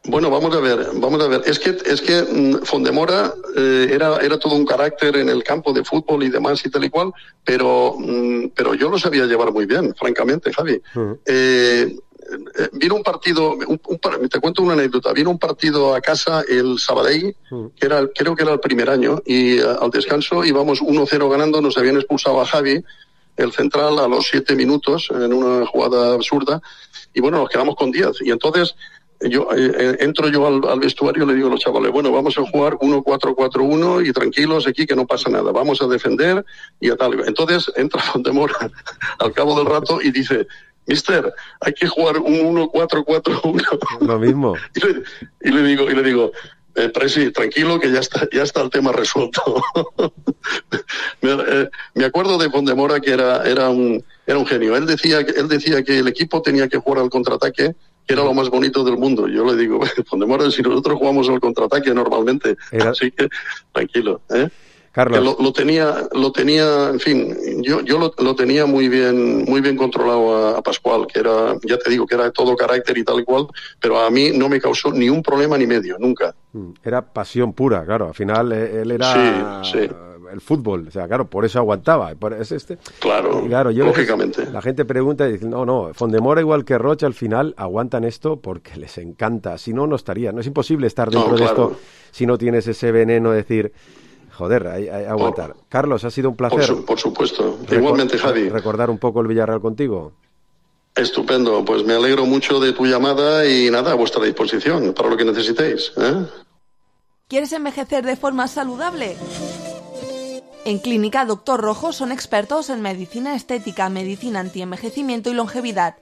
Bueno, vamos a ver. Es que Fondemora era todo un carácter en el campo de fútbol y demás y tal y cual, pero yo lo sabía llevar muy bien, francamente, Javi. Vino un partido, te cuento una anécdota, vino un partido a casa el Sabadell, creo que era el primer año, y al descanso íbamos 1-0 ganando, nos habían expulsado a Javi, el central, a los 7 minutos, en una jugada absurda, y bueno, nos quedamos con 10, y entonces entro yo al vestuario y le digo a los chavales, bueno, vamos a jugar 1-4-4-1 y tranquilos aquí que no pasa nada, vamos a defender y a tal. Entonces entra Fondemora al cabo del rato y dice, Mister, hay que jugar un 1-4-4-1. Lo mismo. Y le digo, Presi, tranquilo que ya está el tema resuelto. Me acuerdo de Fondemora que era un genio. Él decía que el equipo tenía que jugar al contraataque, que era lo más bonito del mundo. Yo le digo, Fondemora, si nosotros jugamos al contraataque normalmente, así que tranquilo, Carlos. Lo tenía, en fin, yo lo tenía muy bien controlado a Pascual, que era, ya te digo, que era todo carácter y tal y cual, pero a mí no me causó ni un problema ni medio, nunca. Era pasión pura, claro, al final él era el fútbol, o sea, claro, por eso aguantaba. Claro, lógicamente. La gente pregunta y dice, no, Fondemora igual que Rocha al final aguantan esto porque les encanta, si no, no estaría, no es imposible estar dentro de esto si no tienes ese veneno de decir... Joder, hay aguantar. Carlos, ha sido un placer. Por supuesto. Igualmente, Javi. Recordar un poco el Villarreal contigo. Estupendo. Pues me alegro mucho de tu llamada y nada, a vuestra disposición para lo que necesitéis. ¿Quieres envejecer de forma saludable? En Clínica Doctor Rojo son expertos en medicina estética, medicina antienvejecimiento y longevidad.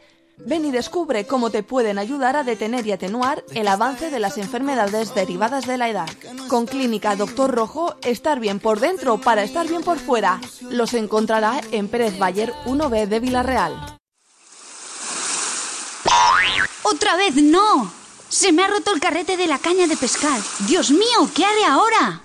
Ven y descubre cómo te pueden ayudar a detener y atenuar el avance de las enfermedades derivadas de la edad. Con Clínica Doctor Rojo, estar bien por dentro para estar bien por fuera. Los encontrará en Pérez Bayer 1B de Villarreal. ¡Otra vez no! ¡Se me ha roto el carrete de la caña de pescar! ¡Dios mío! ¿Qué haré ahora?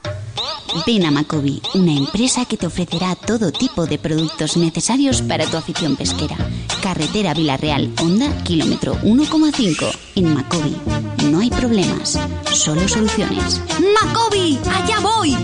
Ven a Macobi, una empresa que te ofrecerá todo tipo de productos necesarios para tu afición pesquera. Carretera Villarreal, Honda, kilómetro 1,5. En Macobi no hay problemas, solo soluciones. ¡Macobi! ¡Allá voy!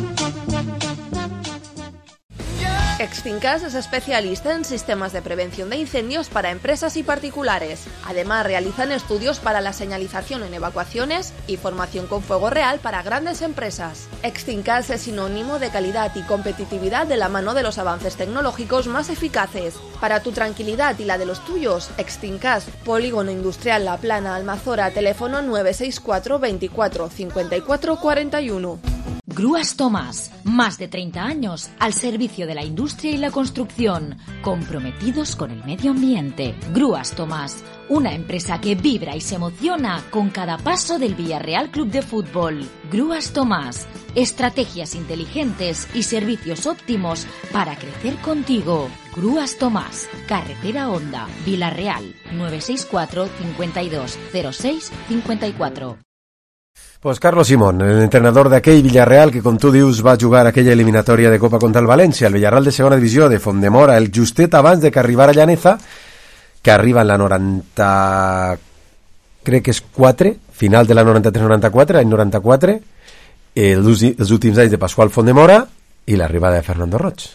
Extincas es especialista en sistemas de prevención de incendios para empresas y particulares. Además, realizan estudios para la señalización en evacuaciones y formación con fuego real para grandes empresas. Extincas es sinónimo de calidad y competitividad de la mano de los avances tecnológicos más eficaces. Para tu tranquilidad y la de los tuyos, Extincas, Polígono Industrial La Plana, Almazora, teléfono 964 24 54 41. Grúas Tomás, más de 30 años al servicio de la industria y la construcción, comprometidos con el medio ambiente. Grúas Tomás, una empresa que vibra y se emociona con cada paso del Villarreal Club de Fútbol. Grúas Tomás, estrategias inteligentes y servicios óptimos para crecer contigo. Grúas Tomás, Carretera Honda, Villarreal, 964 52 06 54. Pues Carlos Simón, el entrenador d'aquell Villarreal que, com tu dius, va jugar aquella eliminatòria de Copa contra el València, el Villarreal de segona divisió de Fondemora, el justet abans de que arribara Llaneza, que arriba en la 90... crec que és 4, final de la 93-94, any 94, els últims anys de Pasqual Fondemora, i l'arribada de Fernando Roig.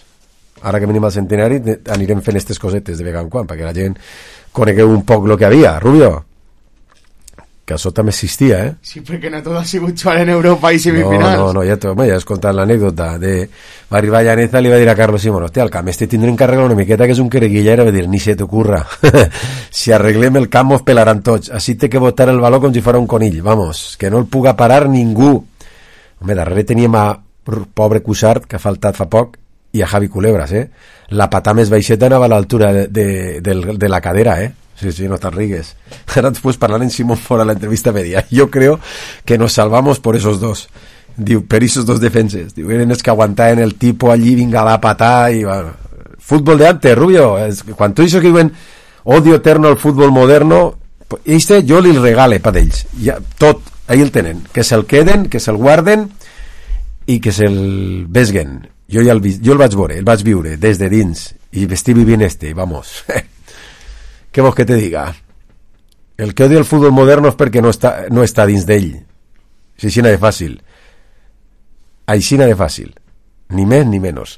Ara que venim al centenari anirem fent aquestes cosetes de vegada en quan perquè la gent conegueu un poc el que havia. Rubio, que això també existia, eh? Sí, perquè no tot ha sigut jugar en Europa i semifinals. No, ja has contat l'anècdota de... Va arribar Llaneza i li va dir a Carlos Simón, hòstia, el camp este tindrem que arreglar una miqueta, que és un quereguilla, i va dir, ni se t'ocurra. Si arreglem el camp, mos pelaran tots. Així té que botar el baló com si fos un conill. Vamos, que no el puga parar ningú. Home, darrere teníem a pobre Cuixart, que ha faltat fa poc, i a Javi Culebras, eh? La patà més baixeta anava a l'altura de la cadera, eh? Sí, no te rigues. Ahora después hablar en Simón Fora la entrevista media. Yo creo que nos salvamos por esos dos. Diu, per esos dos defenses. Diu, eren els que aguantaven el tipo allí, vinga a la patà i bueno. Fútbol de antes, Rubio. Quan tu dius que diuen odio eterno al fútbol moderno, este jo li regale pa d'ells. Ja, tot, ahí el tenen. Que se'l queden, que se'l guarden i que se'l vesguen. Jo el vaig veure, el vaig viure des de dins i estic vivint vamos. ¿Qué vos que te diga? El que odia el fútbol moderno es perquè no està dins d'ell. Aixina de fàcil. Aixina de fàcil. Ni més ni menys.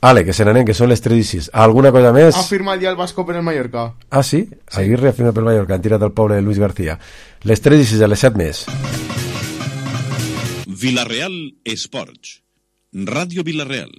Ale, que se n'anem, que són les 3:06. ¿Alguna cosa més? Ha firmat ja el Vasco per el Mallorca. Ah, sí? Aguirre ha firmat pel Mallorca. Han tirat el pobre de Luis García. Les 3:06, a les 7 més. Vilareal Esports. Ràdio Vilareal.